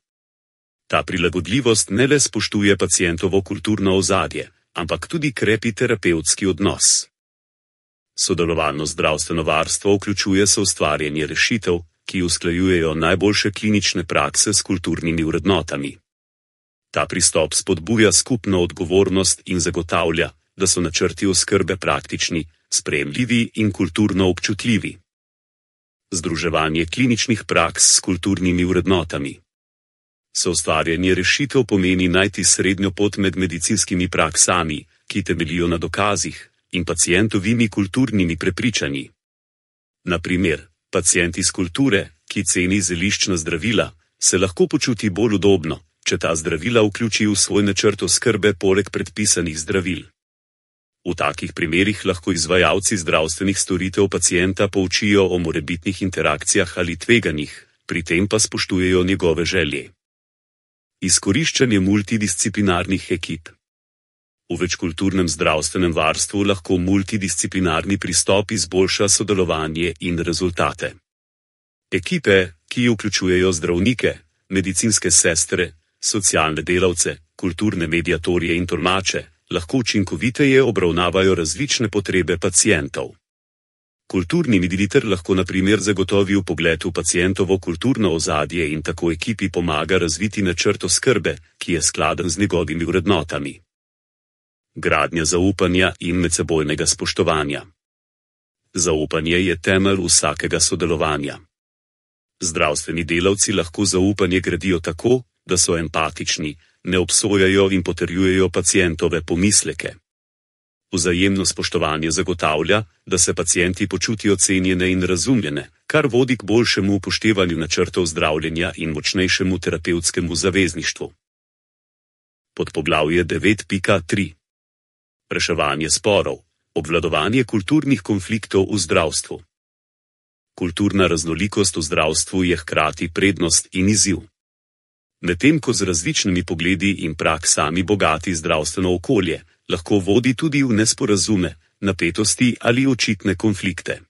Ta prilagodljivost ne le spoštuje pacientovo kulturno ozadje, ampak tudi krepi terapevtski odnos. Sodelovalno zdravstveno varstvo vključuje soustvarjanje rešitev, ki usklajujejo najboljše klinične prakse s kulturnimi vrednotami. Ta pristop spodbuja skupno odgovornost in zagotavlja, da so načrti oskrbe praktični, sprejemljivi in kulturno občutljivi. Združevanje kliničnih praks s kulturnimi vrednotami. Soustvarjanje rešitev pomeni najti srednjo pot med medicinskimi praksami, ki temeljijo na dokazih, in pacientovimi kulturnimi prepričanji. Na primer, pacient iz kulture, ki ceni zeliščna zdravila, se lahko počuti bolj udobno, če ta zdravila vključi v svoj načrt oskrbe poleg predpisanih zdravil. V takih primerih lahko izvajalci zdravstvenih storitev pacienta poučijo o morebitnih interakcijah ali tveganjih, pri tem pa spoštujejo njegove želje. Izkoriščanje multidisciplinarnih ekip. V večkulturnem zdravstvenem varstvu lahko multidisciplinarni pristop izboljša sodelovanje in rezultate. Ekipe, ki vključujejo zdravnike, medicinske sestre, socialne delavce, kulturne mediatorje in tolmače, lahko učinkoviteje obravnavajo različne potrebe pacientov. Kulturni mediator lahko na primer zagotovi vpogled v pacientovo kulturno ozadje in tako ekipi pomaga razviti načrt oskrbe, ki je skladen z njegovimi vrednotami. Gradnja zaupanja in medsebojnega spoštovanja. Zaupanje je temelj vsakega sodelovanja. Zdravstveni delavci lahko zaupanje gradijo tako, da so empatični, ne obsojajo in potrjujejo pacientove pomisleke. Vzajemno spoštovanje zagotavlja, da se pacienti počutijo cenjene in razumljene, kar vodi k boljšemu upoštevanju načrtov zdravljenja in močnejšemu terapevtskemu zavezništvu. Podpoglavje devet pika tri. Reševanje sporov, obvladovanje kulturnih konfliktov v zdravstvu. Kulturna raznolikost v zdravstvu je hkrati prednost in izziv. Medtem ko z različnimi pogledi in praksami bogati zdravstveno okolje, lahko vodi tudi v nesporazume, napetosti ali očitne konflikte.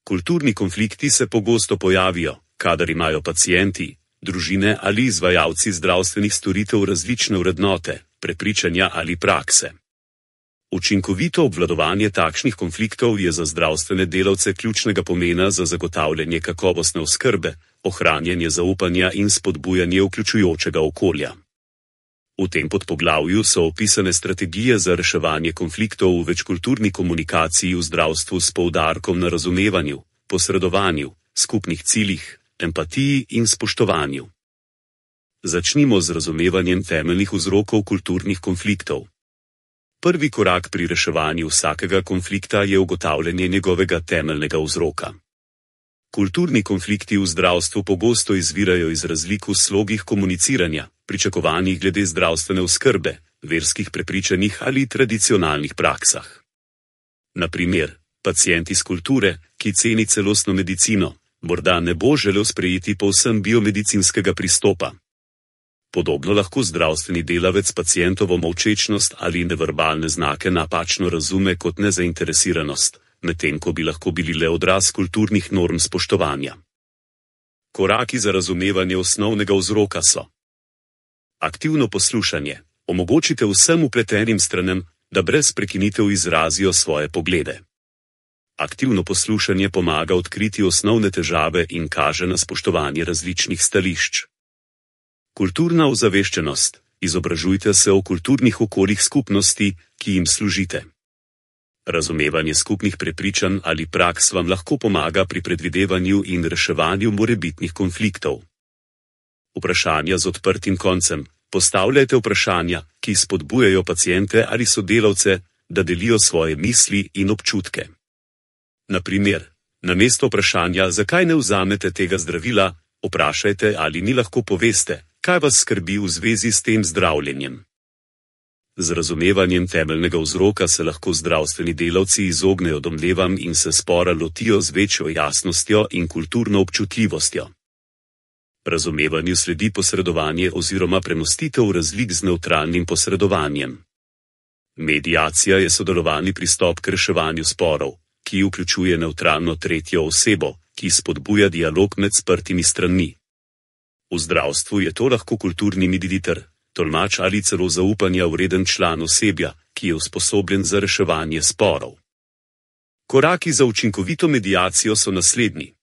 Kulturni konflikti se pogosto pojavijo, kadar imajo pacienti, družine ali izvajalci zdravstvenih storitev različne vrednote, prepričanja ali prakse. Učinkovito obvladovanje takšnih konfliktov je za zdravstvene delavce ključnega pomena za zagotavljanje kakovostne oskrbe, ohranjanje zaupanja in spodbujanje vključujočega okolja. V tem podpoglavju so opisane strategije za reševanje konfliktov v večkulturni komunikaciji v zdravstvu s poudarkom na razumevanju, posredovanju, skupnih ciljih, empatiji in spoštovanju. Začnimo z razumevanjem temeljnih vzrokov kulturnih konfliktov. Prvi korak pri reševanju vsakega konflikta je ugotavljanje njegovega temeljnega vzroka. Kulturni konflikti v zdravstvu pogosto izvirajo iz razlik v slogih komuniciranja, pričakovanjih glede zdravstvene oskrbe, verskih prepričanjih ali tradicionalnih praksah. Na primer, pacient iz kulture, ki ceni celostno medicino, morda ne bo želel sprejeti povsem biomedicinskega pristopa. Podobno lahko zdravstveni delavec pacientovo molčečnost ali neverbalne znake napačno razume kot nezainteresiranost, medtem ko bi lahko bili le odraz kulturnih norm spoštovanja. Koraki za razumevanje osnovnega vzroka so: aktivno poslušanje. Omogočite vsem vpletenim stranem, da brez prekinitev izrazijo svoje poglede. Aktivno poslušanje pomaga odkriti osnovne težave in kaže na spoštovanje različnih stališč. Kulturna ozaveščenost. Izobražujte se o kulturnih okoljih skupnosti, ki jim služite. Razumevanje skupnih prepričanj ali praks vam lahko pomaga pri predvidevanju in reševanju morebitnih konfliktov. Vprašanja z odprtim koncem. Postavljajte vprašanja, ki spodbujajo paciente ali sodelavce, da delijo svoje misli in občutke. Na primer, namesto vprašanja, zakaj ne vzamete tega zdravila, vprašajte, ali ni lahko poveste, kaj vas skrbi v zvezi s tem zdravljenjem. Z razumevanjem temeljnega vzroka se lahko zdravstveni delavci izognejo domnevam in se spora lotijo z večjo jasnostjo in kulturno občutljivostjo. Razumevanju sledi posredovanje oziroma premostitev razlik z nevtralnim posredovanjem. Mediacija je sodelovalni pristop k reševanju sporov, ki vključuje nevtralno tretjo osebo, ki spodbuja dialog med sprtimi stranmi. V zdravstvu je to lahko kulturni mediator, tolmač ali celo zaupanja vreden član osebja, ki je usposobljen za reševanje sporov. Koraki za učinkovito mediacijo so naslednji.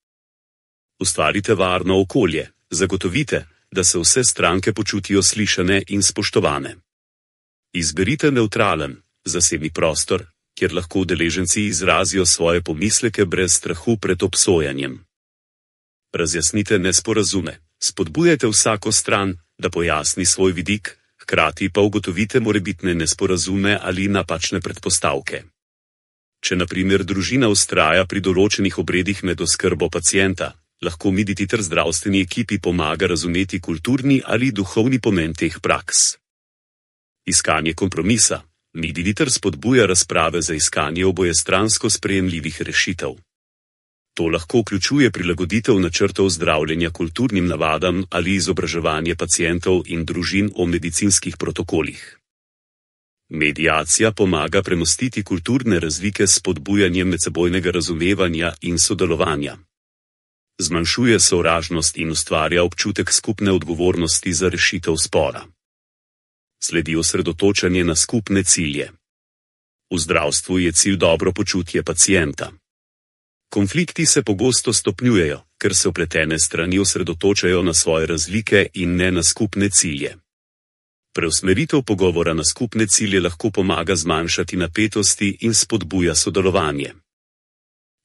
Ustvarite varno okolje, zagotovite, da se vse stranke počutijo slišane in spoštovane. Izberite nevtralen, zasebni prostor, kjer lahko udeleženci izrazijo svoje pomisleke brez strahu pred obsojanjem. Razjasnite nesporazume, spodbujajte vsako stran, da pojasni svoj vidik, hkrati pa ugotovite morebitne nesporazume ali napačne predpostavke. Če na primer družina vztraja pri določenih obredih med oskrbo pacienta, lahko mediator zdravstveni ekipi pomaga razumeti kulturni ali duhovni pomen teh praks. Iskanje kompromisa. Mediator spodbuja razprave za iskanje obojestransko sprejemljivih rešitev. To lahko vključuje prilagoditev načrtov zdravljenja kulturnim navadam ali izobraževanje pacientov in družin o medicinskih protokolih. Mediacija pomaga premostiti kulturne razlike s spodbujanjem medsebojnega razumevanja in sodelovanja. Zmanjšuje sovražnost in ustvarja občutek skupne odgovornosti za rešitev spora. Sledi osredotočanje na skupne cilje. V zdravstvu je cilj dobro počutje pacienta. Konflikti se pogosto stopnjujejo, ker se vpletene strani osredotočajo na svoje razlike in ne na skupne cilje. Preusmeritev pogovora na skupne cilje lahko pomaga zmanjšati napetosti in spodbuja sodelovanje.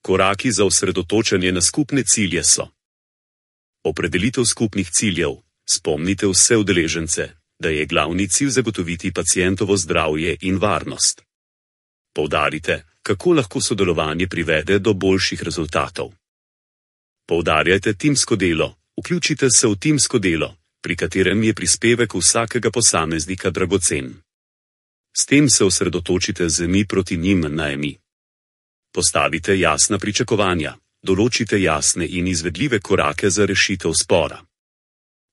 Koraki za osredotočanje na skupne cilje so: opredelitev skupnih ciljev. Spomnite vse udeležence, da je glavni cilj zagotoviti pacientovo zdravje in varnost. Poudarite, kako lahko sodelovanje privede do boljših rezultatov. Poudarjajte timsko delo, vključite se v timsko delo, pri katerem je prispevek vsakega posameznika dragocen. S tem se osredotočite z mi proti njim na mi. Postavite jasna pričakovanja, določite jasne in izvedljive korake za rešitev spora.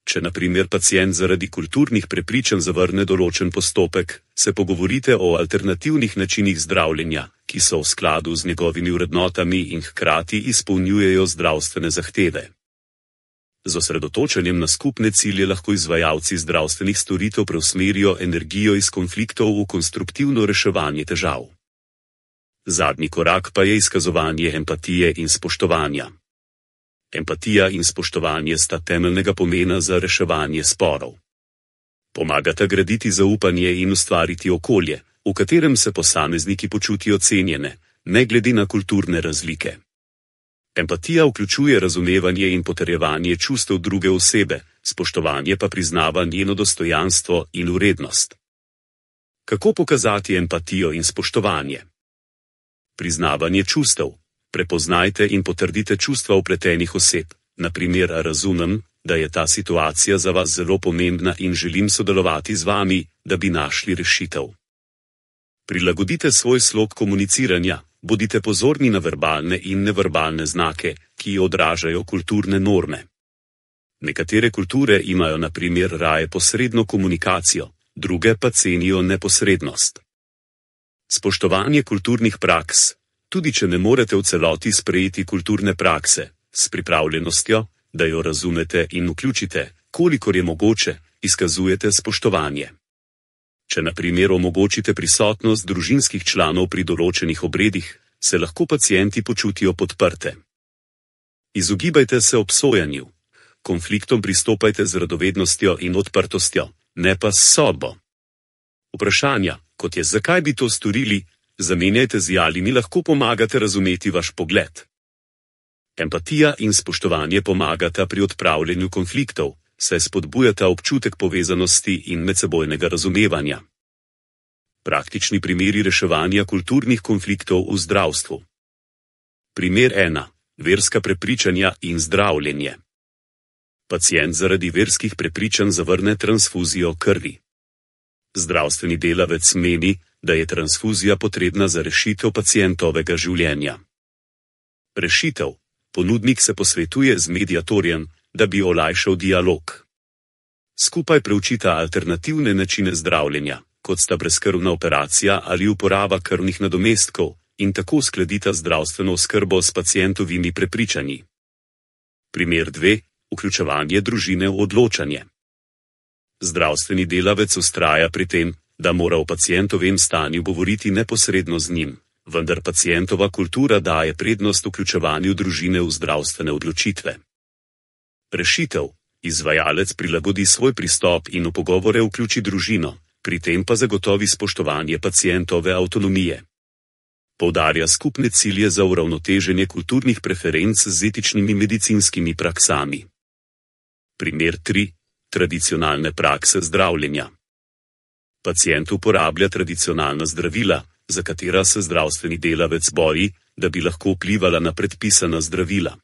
Če na primer pacient zaradi kulturnih prepričanj zavrne določen postopek, se pogovorite o alternativnih načinih zdravljenja, ki so v skladu z njegovimi vrednotami in hkrati izpolnjujejo zdravstvene zahteve. Z osredotočanjem na skupne cilje lahko izvajalci zdravstvenih storitev preusmerijo energijo iz konfliktov v konstruktivno reševanje težav. Zadnji korak pa je izkazovanje empatije in spoštovanja. Empatija in spoštovanje sta temeljnega pomena za reševanje sporov. Pomagata graditi zaupanje in ustvariti okolje, v katerem se posamezniki počutijo cenjene, ne glede na kulturne razlike. Empatija vključuje razumevanje in potrjevanje čustev druge osebe, spoštovanje pa priznava njeno dostojanstvo in vrednost. Kako pokazati empatijo in spoštovanje? Priznavanje čustev. Prepoznajte in potrdite čustva vpletenih oseb, na primer razumem, da je ta situacija za vas zelo pomembna in želim sodelovati z vami, da bi našli rešitev. Prilagodite svoj slog komuniciranja, bodite pozorni na verbalne in neverbalne znake, ki odražajo kulturne norme. Nekatere kulture imajo na primer raje posredno komunikacijo, druge pa cenijo neposrednost. Spoštovanje kulturnih praks. Tudi če ne morete v celoti sprejeti kulturne prakse, s pripravljenostjo, da jo razumete in vključite, kolikor je mogoče, izkazujete spoštovanje. Če na primer omogočite prisotnost družinskih članov pri določenih obredih, se lahko pacienti počutijo podprte. Izogibajte se obsojanju. Konfliktom pristopajte z radovednostjo in odprtostjo, ne pa s sodbo. Vprašanja, kot je zakaj bi to storili, zamenjajte z ali mi lahko pomagate razumeti vaš pogled. Empatija in spoštovanje pomagata pri odpravljanju konfliktov, saj spodbujata občutek povezanosti in medsebojnega razumevanja. Praktični primeri reševanja kulturnih konfliktov v zdravstvu. Primer ena. Verska prepričanja in zdravljenje. Pacient zaradi verskih prepričanj zavrne transfuzijo krvi. Zdravstveni delavec meni, da je transfuzija potrebna za rešitev pacientovega življenja. Rešitev. Ponudnik se posvetuje z mediatorjem, da bi olajšal dialog. Skupaj preučita alternativne načine zdravljenja, kot sta brezkrvna operacija ali uporaba krvnih nadomestkov, in tako uskladita zdravstveno oskrbo s pacientovimi prepričanji. Primer dve. Vključevanje družine v odločanje. Zdravstveni delavec vztraja pri tem, da mora o pacientovem stanju govoriti neposredno z njim, vendar pacientova kultura daje prednost vključevanju družine v zdravstvene odločitve. Rešitev. Izvajalec prilagodi svoj pristop in v pogovore vključi družino, pri tem pa zagotovi spoštovanje pacientove avtonomije. Poudarja skupne cilje za uravnoteženje kulturnih preferenc z etičnimi medicinskimi praksami. Primer tri. Tradicionalne prakse zdravljenja. Pacient uporablja tradicionalna zdravila, za katera se zdravstveni delavec boji, da bi lahko vplivala na predpisana zdravila.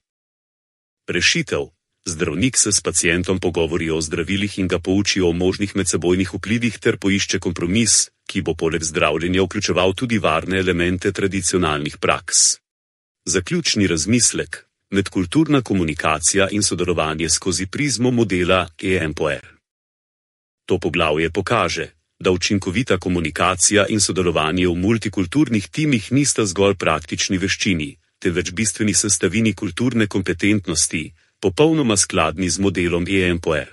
Rešitev. Zdravnik se s pacientom pogovori o zdravilih in ga pouči o možnih medsebojnih vplivih ter poišče kompromis, ki bo poleg zdravljenja vključeval tudi varne elemente tradicionalnih praks. Zaključni razmislek. Medkulturna komunikacija in sodelovanje skozi prizmo modela E M P O R. To poglavje pokaže, da učinkovita komunikacija in sodelovanje v multikulturnih timih nista zgolj praktični veščini, temveč bistveni sestavini kulturne kompetentnosti, popolnoma skladni z modelom E M P O R.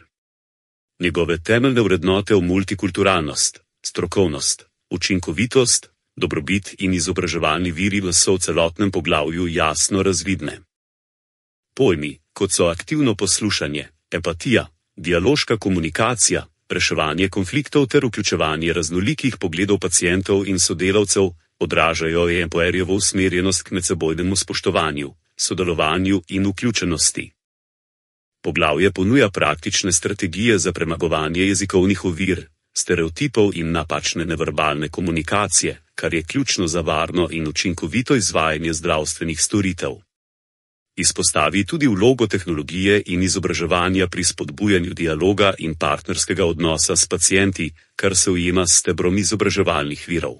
Njegove temeljne vrednote v multikulturalnost, strokovnost, učinkovitost, dobrobit in izobraževalni viri so v celotnem poglavju jasno razvidne. Pojmi, kot so aktivno poslušanje, empatija, dialoška komunikacija, reševanje konfliktov ter vključevanje raznolikih pogledov pacientov in sodelavcev, Odražajo EMPORjevo usmerjenost k medsebojnemu spoštovanju, sodelovanju in vključenosti. Poglavje ponuja praktične strategije za premagovanje jezikovnih ovir, stereotipov in napačne neverbalne komunikacije, kar je ključno za varno in učinkovito izvajanje zdravstvenih storitev. Izpostavi tudi vlogo tehnologije in izobraževanja pri spodbujanju dialoga in partnerskega odnosa s pacienti, kar se ujema s stebrom izobraževalnih virov.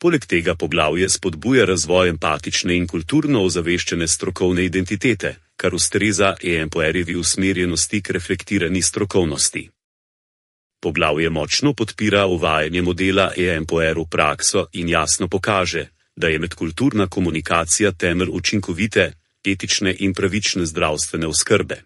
Poleg tega poglavje spodbuja razvoj empatične in kulturno ozaveščene strokovne identitete, kar ustreza EMPORjevi usmerjenosti k reflektirani strokovnosti. Poglavje močno podpira uvajanje modela EMPOR v prakso in jasno pokaže, da je medkulturna komunikacija temelj učinkovite, etične in pravične zdravstvene oskrbe.